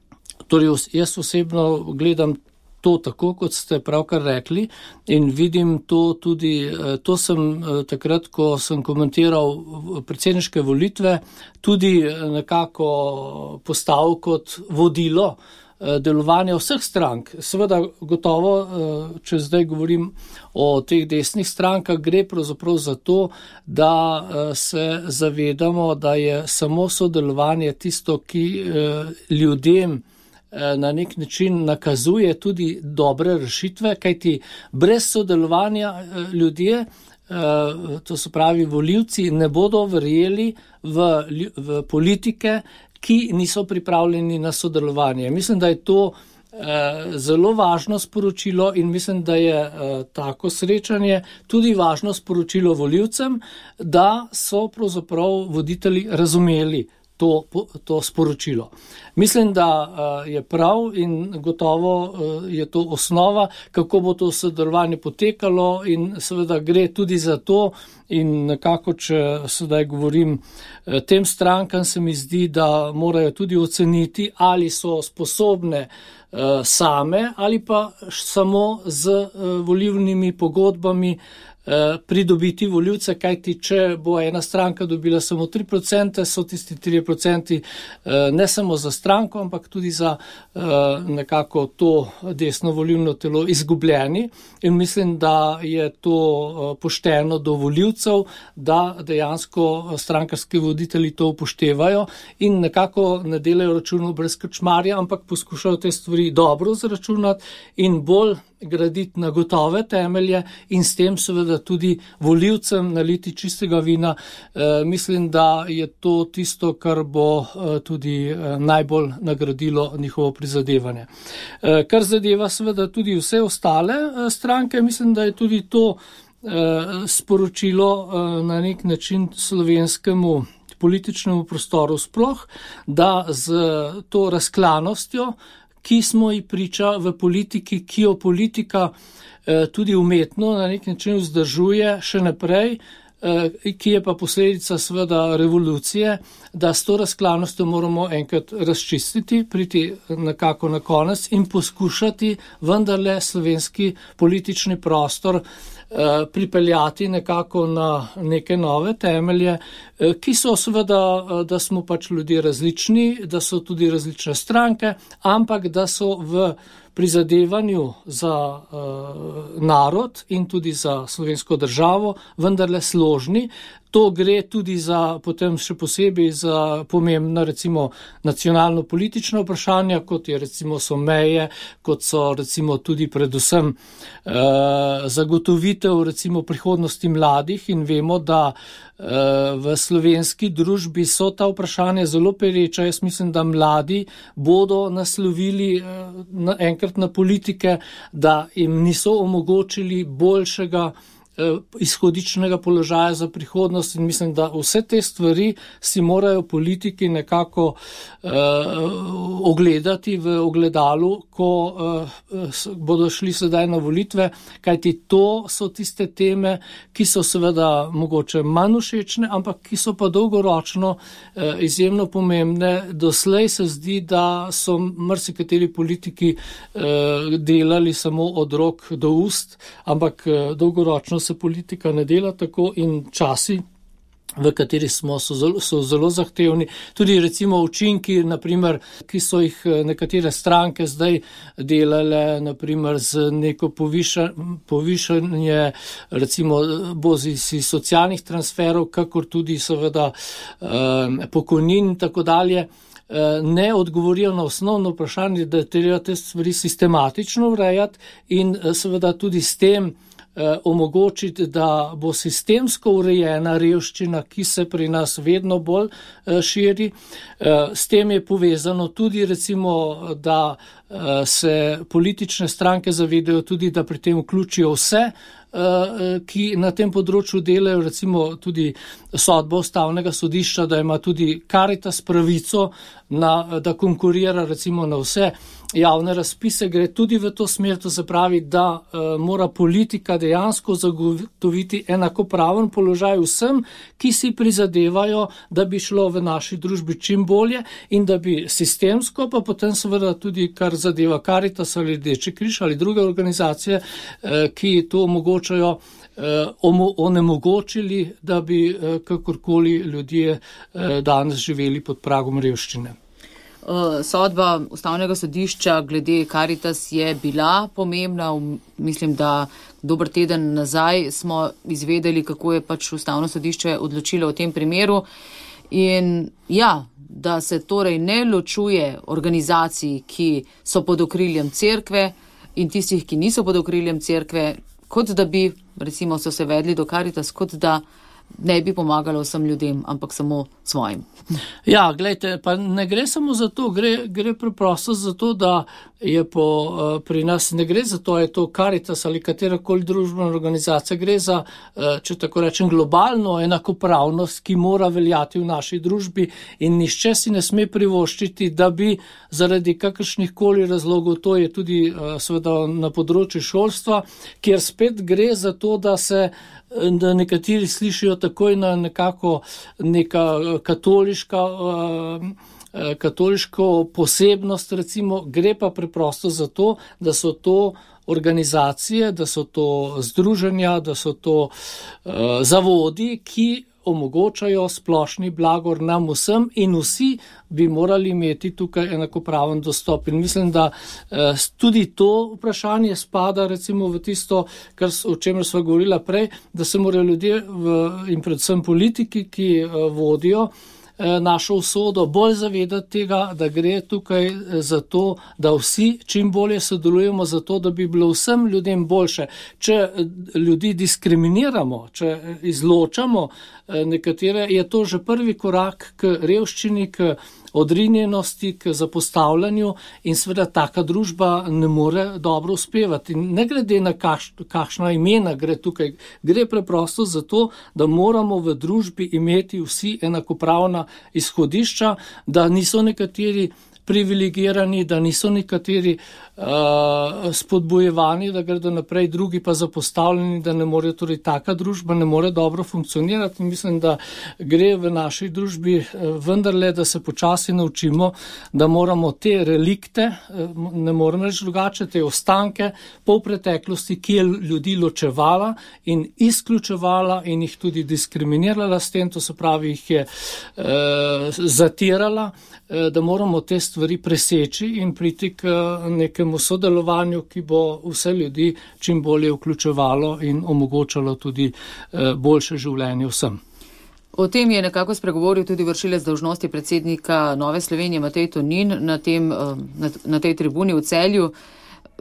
Torej, jaz osebno gledam to tako, kot ste pravkar rekli, in vidim to tudi, to sem takrat, ko sem komentiral predsedniške volitve, tudi nekako postavil kot vodilo delovanja vseh strank. Seveda gotovo, če zdaj govorim o teh desnih strankah, gre pravzaprav za to, da se zavedamo, da je samo sodelovanje tisto, ki ljudem na nek način nakazuje tudi dobre rešitve, kajti brez sodelovanja ljudje, to se pravi volivci, ne bodo verjeli v, v politike, ki niso pripravljeni na sodelovanje. Mislim, da je to eh, zelo važno sporočilo in mislim, da je eh, tako srečanje tudi važno sporočilo volivcem, da so pravzaprav voditelji razumeli to, to sporočilo. Mislim, da uh, je prav in gotovo uh, je to osnova, kako bo to sodelovanje potekalo in seveda gre tudi za to in nekako, če sedaj govorim, uh, tem strankam se mi zdi, da morajo tudi oceniti, ali so sposobne uh, same ali pa samo z uh, volilnimi pogodbami pridobiti voljivce, kajti če bo ena stranka dobila samo tri procente, so tisti tri procenti ne samo za stranko, ampak tudi za nekako to desno volilno telo izgubljeni in mislim, da je to pošteno do voljivcev, da dejansko strankarski voditelji to upoštevajo in nekako ne delajo računov brez krčmarja, ampak poskušajo te stvari dobro zračunati in bolj graditi na gotove temelje in s tem seveda tudi volivcem naliti čistega vina. E, mislim, da je to tisto, kar bo e, tudi e, najbolj nagradilo njihovo prizadevanje. E, kar zadeva seveda tudi vse ostale e, stranke, mislim, da je tudi to e, sporočilo e, na nek način slovenskemu političnemu prostoru sploh, da z to razklanostjo, ki smo ji priča v politiki, ki jo politika eh, tudi umetno na nek način vzdržuje še naprej, eh, ki je pa posledica seveda revolucije, da s to razklanostjo moramo enkrat razčistiti, priti nekako na konec in poskušati vendarle slovenski politični prostor eh, pripeljati nekako na neke nove temelje, eh, ki so seveda, eh, da smo pač ljudje različni, da so tudi različne stranke, ampak da so v prizadevanju za uh, narod in tudi za slovensko državo vendarle složni. To gre tudi za, potem še posebej za pomembna recimo nacionalno-politična vprašanja, kot je recimo so meje, kot so recimo tudi predvsem eh, zagotovitev recimo prihodnosti mladih in vemo, da eh, v slovenski družbi so ta vprašanja zelo pereča. Jaz mislim, da mladi bodo naslovili eh, na, enkrat na politike, da jim niso omogočili boljšega izhodičnega položaja za prihodnost in mislim, da vse te stvari si morajo politiki nekako uh, ogledati v ogledalu, ko uh, bodo šli sedaj na volitve, kajti to so tiste teme, ki so seveda mogoče manj všečne, ampak ki so pa dolgoročno uh, izjemno pomembne. Doslej se zdi, da so marsikateri politiki uh, delali samo od rok do ust, ampak uh, dolgoročno se politika ne dela tako in časi, v kateri smo, so zelo, so zelo zahtevni. Tudi recimo učinki, naprimer, ki so jih nekatere stranke zdaj delale, naprimer z neko poviša, povišanje, recimo bozisi socialnih transferov, kakor tudi seveda eh, pokojnin in tako dalje, ne odgovorijo na osnovno vprašanje, da je treba te stvari sistematično urejati in seveda tudi s tem omogočiti, da bo sistemsko urejena revščina, ki se pri nas vedno bolj širi. S tem je povezano tudi recimo, da se politične stranke zavedajo tudi, da pri tem vključijo vse, ki na tem področju delajo, recimo tudi sodbo Ustavnega sodišča, da ima tudi Karitas pravico, na, da konkurira recimo na vse javne razpise, gre tudi v to smer, to se pravi, da uh, mora politika dejansko zagotoviti enakopraven položaj vsem, ki si prizadevajo, da bi šlo v naši družbi čim bolje in da bi sistemsko, pa potem seveda tudi, kar zadeva Karitas ali Rdeči križ ali druge organizacije, uh, ki to omogočajo, onemogočili, da bi kakorkoli ljudje danes živeli pod pragom revščine. Sodba Ustavnega sodišča glede Karitas je bila pomembna. Mislim, da dober teden nazaj smo izvedeli, kako je pač Ustavno sodišče odločilo v tem primeru. In ja, da se torej ne ločuje organizacij, ki so pod okriljem cerkve in tistih, ki niso pod okriljem cerkve, kot da bi, recimo, so se vedli do Karitas, kot da ne bi pomagalo vsem ljudem, ampak samo svojim. Ja, gledajte, pa ne gre samo za to, gre, gre preprosto za to, da je po, pri nas ne gre za to, je to Karitas ali katerakoli družbena organizacija, gre za, če tako rečem, globalno enakopravnost, ki mora veljati v naši družbi in nišče si ne sme privoščiti, da bi zaradi kakršnih koli razlogov, to je tudi seveda na področju šolstva, kjer spet gre za to, da se da nekateri slišijo takoj na nekako neka katoliška, katoliško posebnost, recimo, gre pa preprosto za to, da so to organizacije, da so to združenja, da so to uh, zavodi, ki omogočajo splošni blagor nam vsem in vsi bi morali imeti tukaj enakopraven dostop. In mislim, da eh, tudi to vprašanje spada recimo v tisto, kar, o čemer sva govorila prej, da se morajo ljudje v, in predvsem politiki, ki eh, vodijo našo usodo, bolj zavedati tega, da gre tukaj za to, da vsi čim bolje sodelujemo za to, da bi bilo vsem ljudem boljše. Če ljudi diskriminiramo, če izločamo nekatere, je to že prvi korak k revščini, k odrinjenosti, k zapostavljanju in seveda taka družba ne more dobro uspevati. Ne glede na kaš, kakšna imena gre tukaj, gre preprosto za to, da moramo v družbi imeti vsi enakopravna izhodišča, da niso nekateri privilegirani, da niso nekateri uh, spodbojevani, da gredo naprej, drugi pa zapostavljeni, da ne more, torej taka družba ne more dobro funkcionirati. In mislim, da gre v naši družbi vendarle, da se počasi naučimo, da moramo te relikte, ne moramo reči drugače, te ostanke po preteklosti, ki je ljudi ločevala in izključevala in jih tudi diskriminirala s tem, to se pravi, jih je uh, zatirala, uh, da moramo te stvari preseči in priti k nekemu sodelovanju, ki bo vse ljudi čim bolje vključevalo in omogočalo tudi boljše življenje vsem. O tem je nekako spregovoril tudi vršilec dolžnosti predsednika Nove Slovenije Matej Tonin na, tem, na, na tej tribuni v Celju.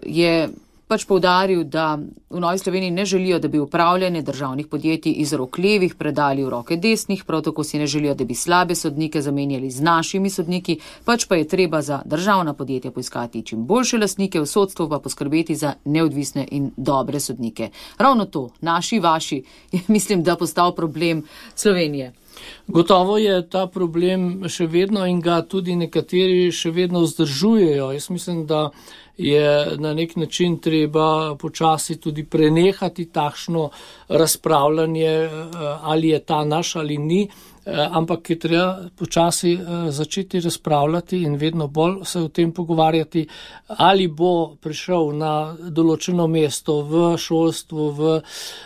Je pač poudaril, da v Novi Sloveniji ne želijo, da bi upravljanje državnih podjetij iz rok levih predali v roke desnih, prav tako si ne želijo, da bi slabe sodnike zamenjali z našimi sodniki, pač pa je treba za državna podjetja poiskati čim boljše lastnike, v sodstvu pa poskrbeti za neodvisne in dobre sodnike. Ravno to, naši, vaši, je mislim, da postal problem Slovenije. Gotovo je ta problem še vedno in ga tudi nekateri še vedno vzdržujejo. Jaz mislim, da je na nek način treba počasi tudi prenehati takšno razpravljanje, ali je ta naš ali ni, ampak je treba počasi začeti razpravljati in vedno bolj se o tem pogovarjati, ali bo prišel na določeno mesto v šolstvu, v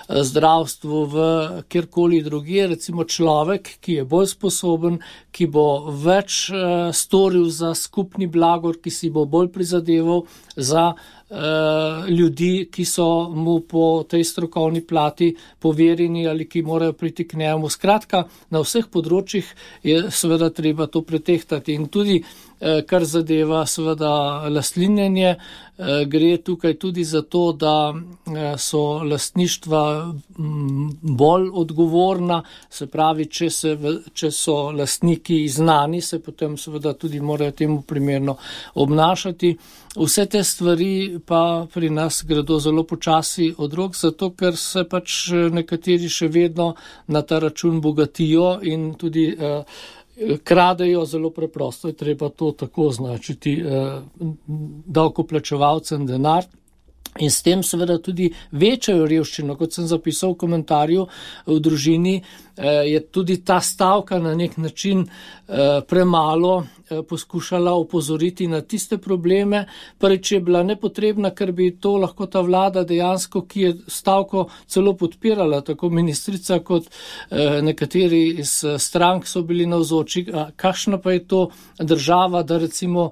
zdravstvu, v kjerkoli drugje, recimo človek, ki je bolj sposoben, ki bo več storil za skupni blagor, ki si bo bolj prizadeval za ljudi, ki so mu po tej strokovni plati poverjeni ali ki morajo priti k njemu. Skratka, na vseh področjih je seveda treba to pretehtati in tudi kar zadeva seveda lastninjenje, gre tukaj tudi za to, da so lastništva bolj odgovorna, se pravi, če, se, če so lastniki znani, se potem seveda tudi morajo temu primerno obnašati. Vse te stvari pa pri nas gredo zelo počasi od rok, zato ker se pač nekateri še vedno na ta račun bogatijo in tudi kradejo zelo preprosto, je treba to tako označiti, davkoplačevalcem denar. In s tem seveda tudi večajo revščino, kot sem zapisal v komentarju v družini, je tudi ta stavka na nek način premalo poskušala opozoriti na tiste probleme, prvič je bila nepotrebna, ker bi to lahko ta vlada dejansko, ki je stavko celo podpirala, tako ministrica kot nekateri iz strank so bili navzoči. Kakšna pa je to država, da recimo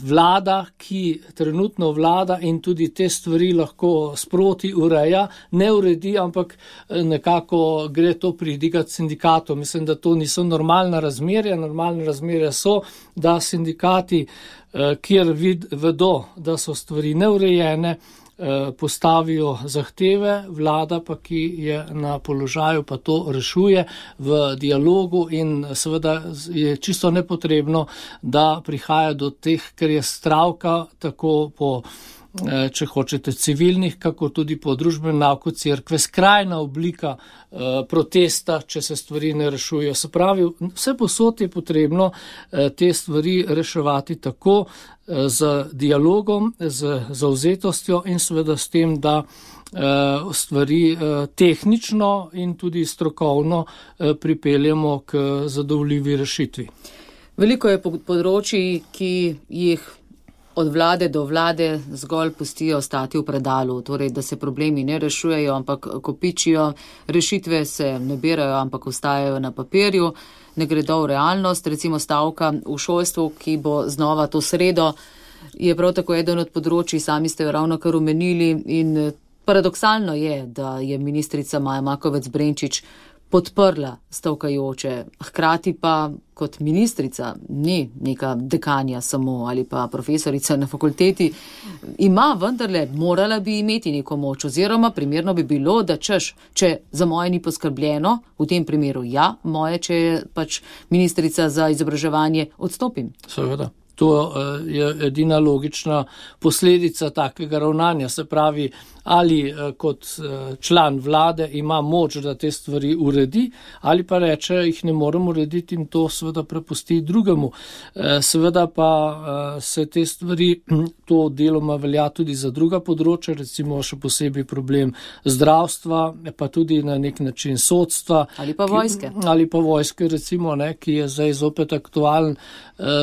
vlada, ki trenutno vlada in tudi te stvari lahko sproti ureja, ne uredi, ampak nekako gre to pridigati sindikatom. Mislim, da to niso normalna razmerja. Normalne razmerja so, da sindikati, kjer vid, vedo, da so stvari neurejene, postavijo zahteve, vlada pa, ki je na položaju, pa to rešuje v dialogu in seveda je čisto nepotrebno, da prihaja do teh, ker je stavka tako po, če hočete, civilnih, kako tudi po družbenem nauku cerkve, skrajna oblika eh, protesta, če se stvari ne rešujejo. Se pravi, vse posod je potrebno eh, te stvari reševati tako eh, z dialogom, z zavzetostjo in seveda s tem, da eh, stvari eh, tehnično in tudi strokovno eh, pripeljemo k zadovoljivi rešitvi. Veliko je področji, ki jih od vlade do vlade zgolj pustijo stati v predalu, torej da se problemi ne rešujejo, ampak kopičijo, rešitve se ne berajo, ampak ostajajo na papirju, ne gredo v realnost. Recimo stavka v šolstvu, ki bo znova to sredo, je prav tako eden od področji, sami ste jo ravno kar omenili in paradoksalno je, da je ministrica Maja Makovec Brenčič podprla stavkajoče, hkrati pa kot ministrica ni neka dekanja samo ali pa profesorica na fakulteti, ima vendarle, morala bi imeti neko moč oziroma primerno bi bilo, da češ, če za moje ni poskrbljeno, v tem primeru ja, moje, če je pač ministrica za izobraževanje, odstopim. Seveda. To je edina logična posledica takega ravnanja, se pravi, ali kot član vlade ima moč, da te stvari uredi, ali pa reče, jih ne morem urediti in to seveda prepusti drugemu. Seveda pa se te stvari, to deloma velja tudi za druga področja, recimo še posebej problem zdravstva, pa tudi na nek način sodstva. Ali pa vojske. Ki, ali pa vojske, recimo, ne, ki je zdaj zopet aktualen.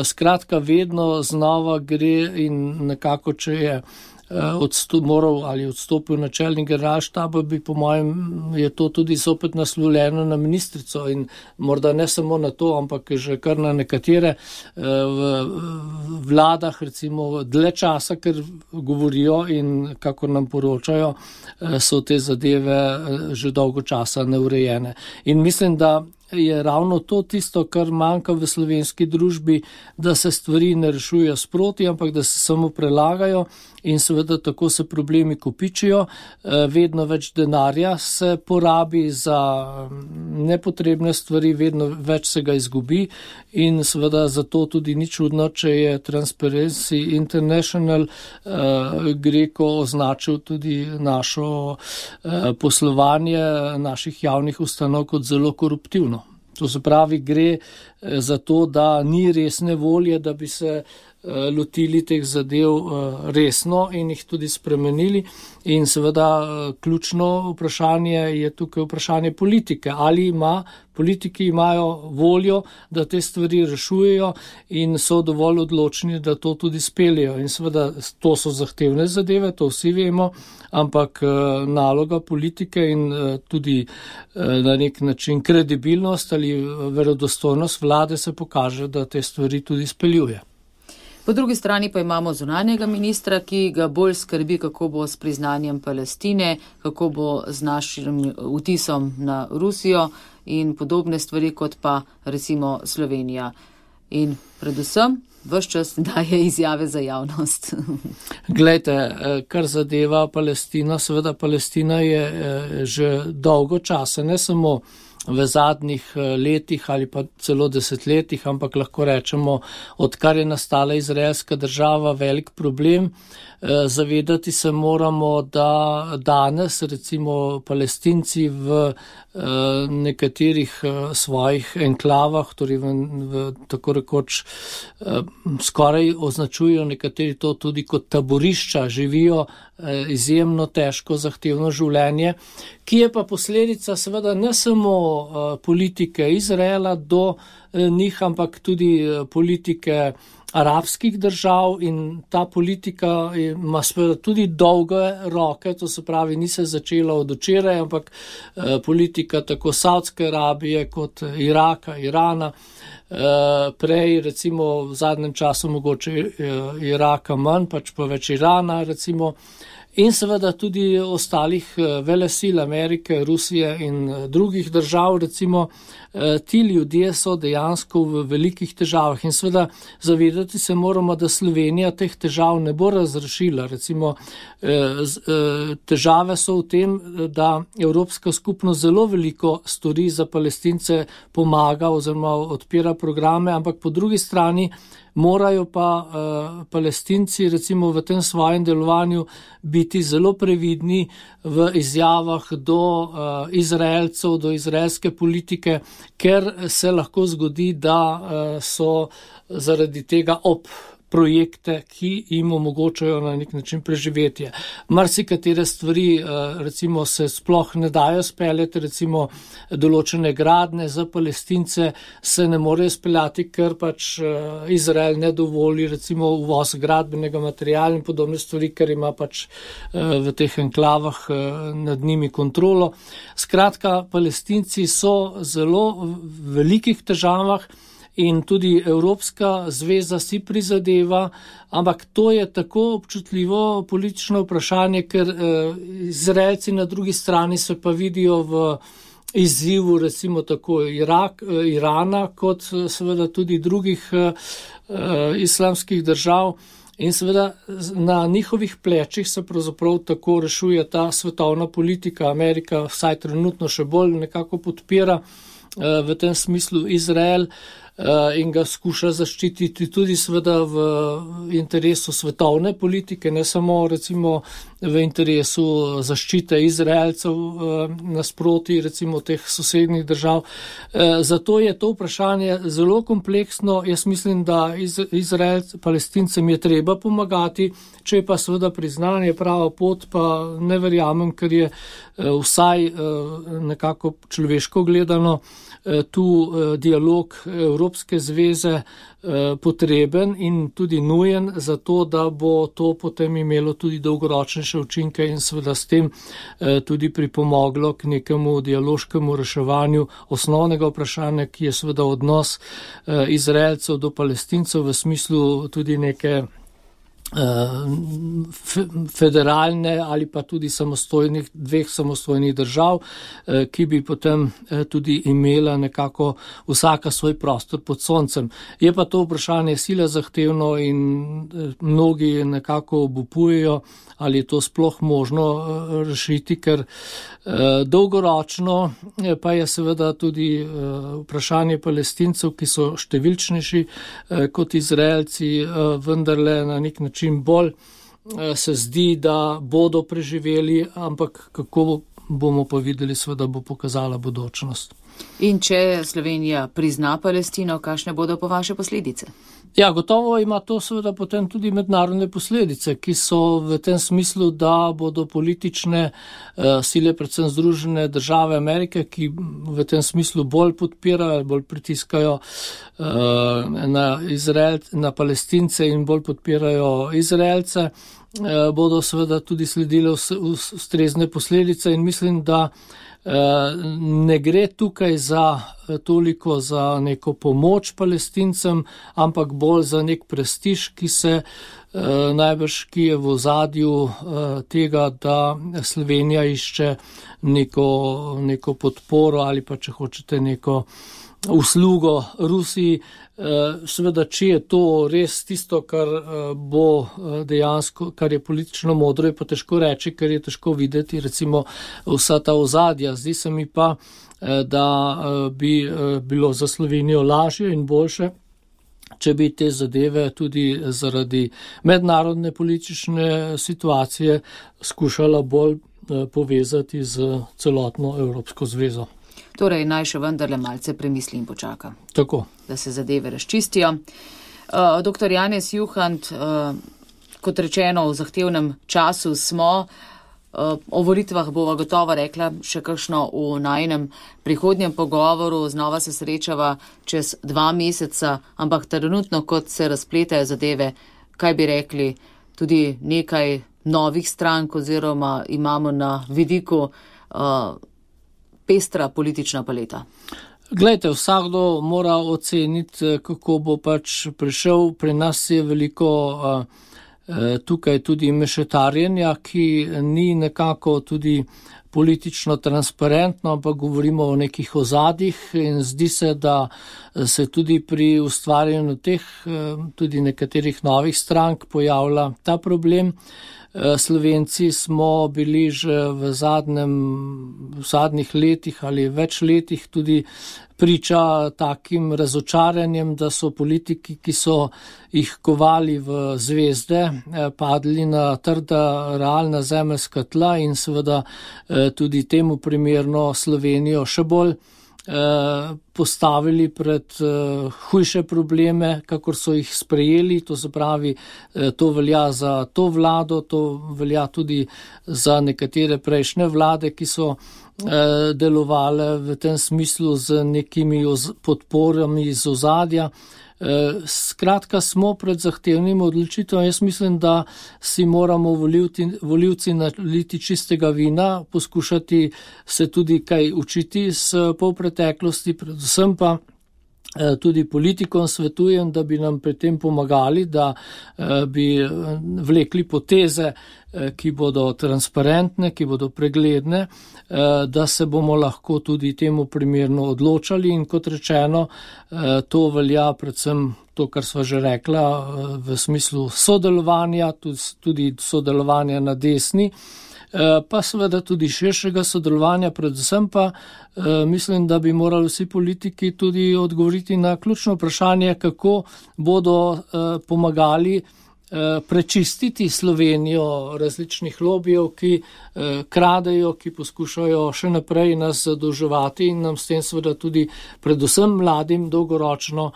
Skratka, vedno znova gre in nekako, če je odstup, moral ali odstopil načelnik generalštaba, bi po mojem je to tudi zopet naslovljeno na ministrico in morda ne samo na to, ampak že kar na nekatere v vladah, recimo dlje časa, ker govorijo in kako nam poročajo, so te zadeve že dolgo časa neurejene. In mislim, da je ravno to tisto, kar manjka v slovenski družbi, da se stvari ne rešujejo sproti, ampak da se samo prelagajo in seveda tako se problemi kopičijo. Vedno več denarja se porabi za nepotrebne stvari, vedno več se ga izgubi in seveda zato tudi ni čudno, če je Transparency International Greco označil tudi našo poslovanje naših javnih ustanov kot zelo koruptivno. To se pravi, gre za to, da ni resne volje, da bi se lotili teh zadev resno in jih tudi spremenili. In seveda ključno vprašanje je tukaj vprašanje politike. Ali ima, politiki imajo voljo, da te stvari rešujejo in so dovolj odločni, da to tudi speljejo. In seveda to so zahtevne zadeve, to vsi vemo, ampak naloga politike in tudi na nek način kredibilnost ali verodostojnost vlade se pokaže, da te stvari tudi speljuje. Po drugi strani pa imamo zunanjega ministra, ki ga bolj skrbi, kako bo s priznanjem Palestine, kako bo z našim vtisom na Rusijo in podobne stvari, kot pa recimo Slovenija. In predvsem ves čas daje izjave za javnost. Glejte, kar zadeva Palestina, seveda Palestina je že dolgo časa, ne samo v zadnjih letih ali pa celo desetletjih, ampak lahko rečemo, odkar je nastala izraelska država, velik problem. Zavedati se moramo, da danes recimo Palestinci v nekaterih svojih enklavah, torej v, v tako rekoč skoraj označujejo nekateri to tudi kot taborišča, živijo izjemno težko, zahtevno življenje, ki je pa posledica seveda ne samo politike Izraela do njih, ampak tudi politike arabskih držav, in ta politika ima seveda tudi dolge roke, to se pravi, ni se začela od včeraj, ampak politika tako Saudske Arabije kot Iraka, Irana, prej recimo v zadnjem času mogoče Iraka manj, pač pa več Irana recimo, in seveda tudi ostalih velesil Amerike, Rusije in drugih držav, recimo ti ljudje so dejansko v velikih težavah in seveda zavedati se moramo, da Slovenija teh težav ne bo razrešila. Recimo težave so v tem, da Evropska skupnost zelo veliko stori za Palestince, pomaga oziroma odpira programe, ampak po drugi strani morajo pa uh, Palestinci recimo v tem svojem delovanju biti zelo previdni v izjavah do uh, Izraelcev, do izraelske politike, ker se lahko zgodi, da uh, so zaradi tega ob projekte, ki jim omogočajo na nek način preživetje. Marsikatere stvari recimo se sploh ne dajo speljati, recimo določene gradnje za Palestince se ne morejo speljati, ker pač Izrael ne dovoli recimo uvoz gradbenega materiala in podobne stvari, ker ima pač v teh enklavah nad njimi kontrolo. Skratka, Palestinci so zelo v velikih težavah, in tudi Evropska zveza si prizadeva, ampak to je tako občutljivo politično vprašanje, ker eh, Izraelci na drugi strani se pa vidijo v izzivu recimo tako Irak, eh, Irana, kot seveda tudi drugih eh, islamskih držav. In seveda na njihovih plečih se pravzaprav tako rešuje ta svetovna politika. Amerika vsaj trenutno še bolj nekako podpira eh, v tem smislu Izrael in ga skuša zaščititi tudi seveda v interesu svetovne politike, ne samo recimo v interesu zaščite Izraelcev nasproti recimo teh sosednjih držav. Zato je to vprašanje zelo kompleksno. Jaz mislim, da Izrael, Palestincem je treba pomagati, če je pa seveda priznanje prava pot, pa ne verjamem, ker je vsaj nekako človeško gledano tu dialog Evropske zveze potreben in tudi nujen, zato da bo to potem imelo tudi dolgoročnejše učinke in seveda s tem tudi pripomoglo k nekemu dialoškemu reševanju osnovnega vprašanja, ki je seveda odnos Izraelcev do Palestincev v smislu tudi neke federalne ali pa tudi samostojnih, dveh samostojnih držav, ki bi potem tudi imela nekako vsaka svoj prostor pod soncem. Je pa to vprašanje sila zahtevno in mnogi nekako obupujejo, ali je to sploh možno rešiti, ker dolgoročno pa je seveda tudi vprašanje Palestincev, ki so številčnejši kot Izraelci, vendarle na nek način čim bolj se zdi, da bodo preživeli, ampak kako bomo pa videli, seveda bo pokazala bodočnost. In če Slovenija prizna Palestino, kakšne bodo po vaše posledice? Ja, gotovo ima to seveda potem tudi mednarodne posledice, ki so v tem smislu, da bodo politične uh, sile, predvsem Združene države Amerike, ki v tem smislu bolj podpirajo, bolj pritiskajo uh, na Izrael, na Palestince in bolj podpirajo Izraelce, uh, bodo seveda tudi sledile ustrezne posledice in mislim, da ne gre tukaj za toliko za neko pomoč Palestincem, ampak bolj za nek prestiž, ki se najbrž, ki je v ozadju tega, da Slovenija išče neko, neko podporo ali pa, če hočete, neko uslugo Rusiji. Seveda, če je to res tisto, kar bo dejansko, kar je politično modro, je pa težko reči, ker je težko videti recimo vsa ta ozadja. Zdi se mi pa, da bi bilo za Slovenijo lažje in boljše, če bi te zadeve tudi zaradi mednarodne politične situacije skušala bolj povezati z celotno Evropsko zvezo. Torej, naj še vendarle malce premisli in počaka. Tako. Da se zadeve razčistijo. Uh, doktor Janez Juhant, uh, kot rečeno, v zahtevnem času smo, uh, o volitvah bova gotovo rekla še kakšno v najinem prihodnjem pogovoru, znova se srečava čez dva meseca, ampak trenutno, kot se razpletajo zadeve, kaj bi rekli, tudi nekaj novih strank oziroma imamo na vidiku uh, pestra politična paleta. Glejte, vsakdo mora oceniti, kako bo pač prišel. Pri nas je veliko uh, tukaj tudi mešetarjenja, ki ni nekako tudi politično transparentno, ampak govorimo o nekih ozadjih in zdi se, da se tudi pri ustvarjanju teh tudi nekaterih novih strank pojavlja ta problem. Slovenci smo bili že v, zadnjem, v zadnjih letih ali več letih tudi priča takim razočaranjem, da so politiki, ki so jih kovali v zvezde, padli na trda realna zemeljska tla in seveda tudi temu primerno Slovenijo še bolj postavili pred hujše probleme, kakor so jih sprejeli. To se pravi, to velja za to vlado, to velja tudi za nekatere prejšnje vlade, ki so delovale v tem smislu z nekimi podporami iz ozadja. Skratka, smo pred zahtevnim odločitvom. Jaz mislim, da si moramo volivci, volivci naliti čistega vina, poskušati se tudi kaj učiti s polpreteklosti, predvsem pa tudi politikom svetujem, da bi nam pri tem pomagali, da bi vlekli poteze, ki bodo transparentne, ki bodo pregledne, da se bomo lahko tudi temu primerno odločali in kot rečeno, to velja predvsem to, kar sva že rekla, v smislu sodelovanja, tudi sodelovanja na desni, pa seveda tudi širšega sodelovanja, predvsem pa mislim, da bi morali vsi politiki tudi odgovoriti na ključno vprašanje, kako bodo pomagali prečistiti Slovenijo različnih lobijev, ki kradejo, ki poskušajo še naprej nas zadolževati in nam s tem seveda tudi predvsem mladim dolgoročno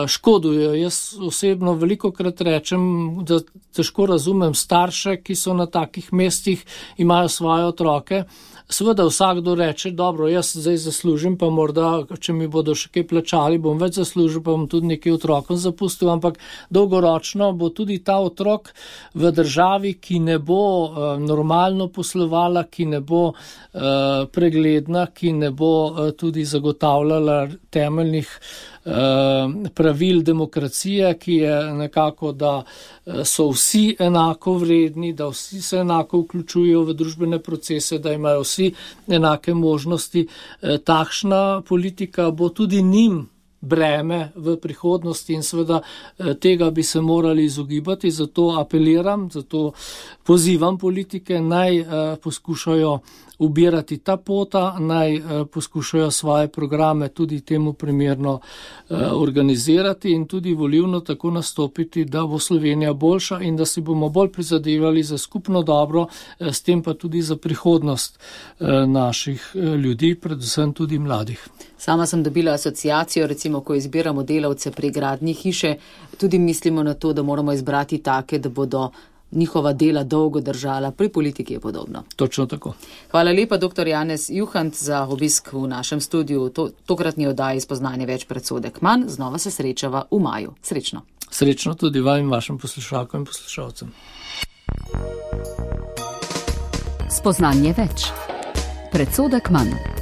škodujejo. Jaz osebno velikokrat rečem, da težko razumem starše, ki so na takih mestih, imajo svoje otroke. Seveda vsakdo reče, dobro, jaz zdaj zaslužim, pa morda, če mi bodo še kaj plačali, bom več zaslužil, pa bom tudi nekaj otrokom zapustil, ampak dolgoročno bo tudi ta otrok v državi, ki ne bo uh, normalno poslovala, ki ne bo uh, pregledna, ki ne bo uh, tudi zagotavljala temeljnih pravil demokracije, ki je nekako, da so vsi enako vredni, da vsi se enako vključujejo v družbene procese, da imajo vsi enake možnosti. Takšna politika bo tudi njim breme v prihodnosti in seveda tega bi se morali izogibati, zato apeliram, zato pozivam politike, naj poskušajo ubirati ta pota, naj poskušajo svoje programe tudi temu primerno organizirati in tudi volilno tako nastopiti, da bo Slovenija boljša in da si bomo bolj prizadevali za skupno dobro, s tem pa tudi za prihodnost naših ljudi, predvsem tudi mladih. Sama sem dobila asociacijo, recimo, ko izbiramo delavce pri gradnji hiše, tudi mislimo na to, da moramo izbrati take, da bodo njihova dela dolgo držala. Pri politiki je podobno. Točno tako. Hvala lepa, doktor Janez Juhant, za obisk v našem studiu. To, tokratni oddaji Spoznanje več predsodek manj. Znova se srečava v maju. Srečno. Srečno tudi vam in vašim poslušalkom in poslušalcem. Spoznanje več. Predsodek manj.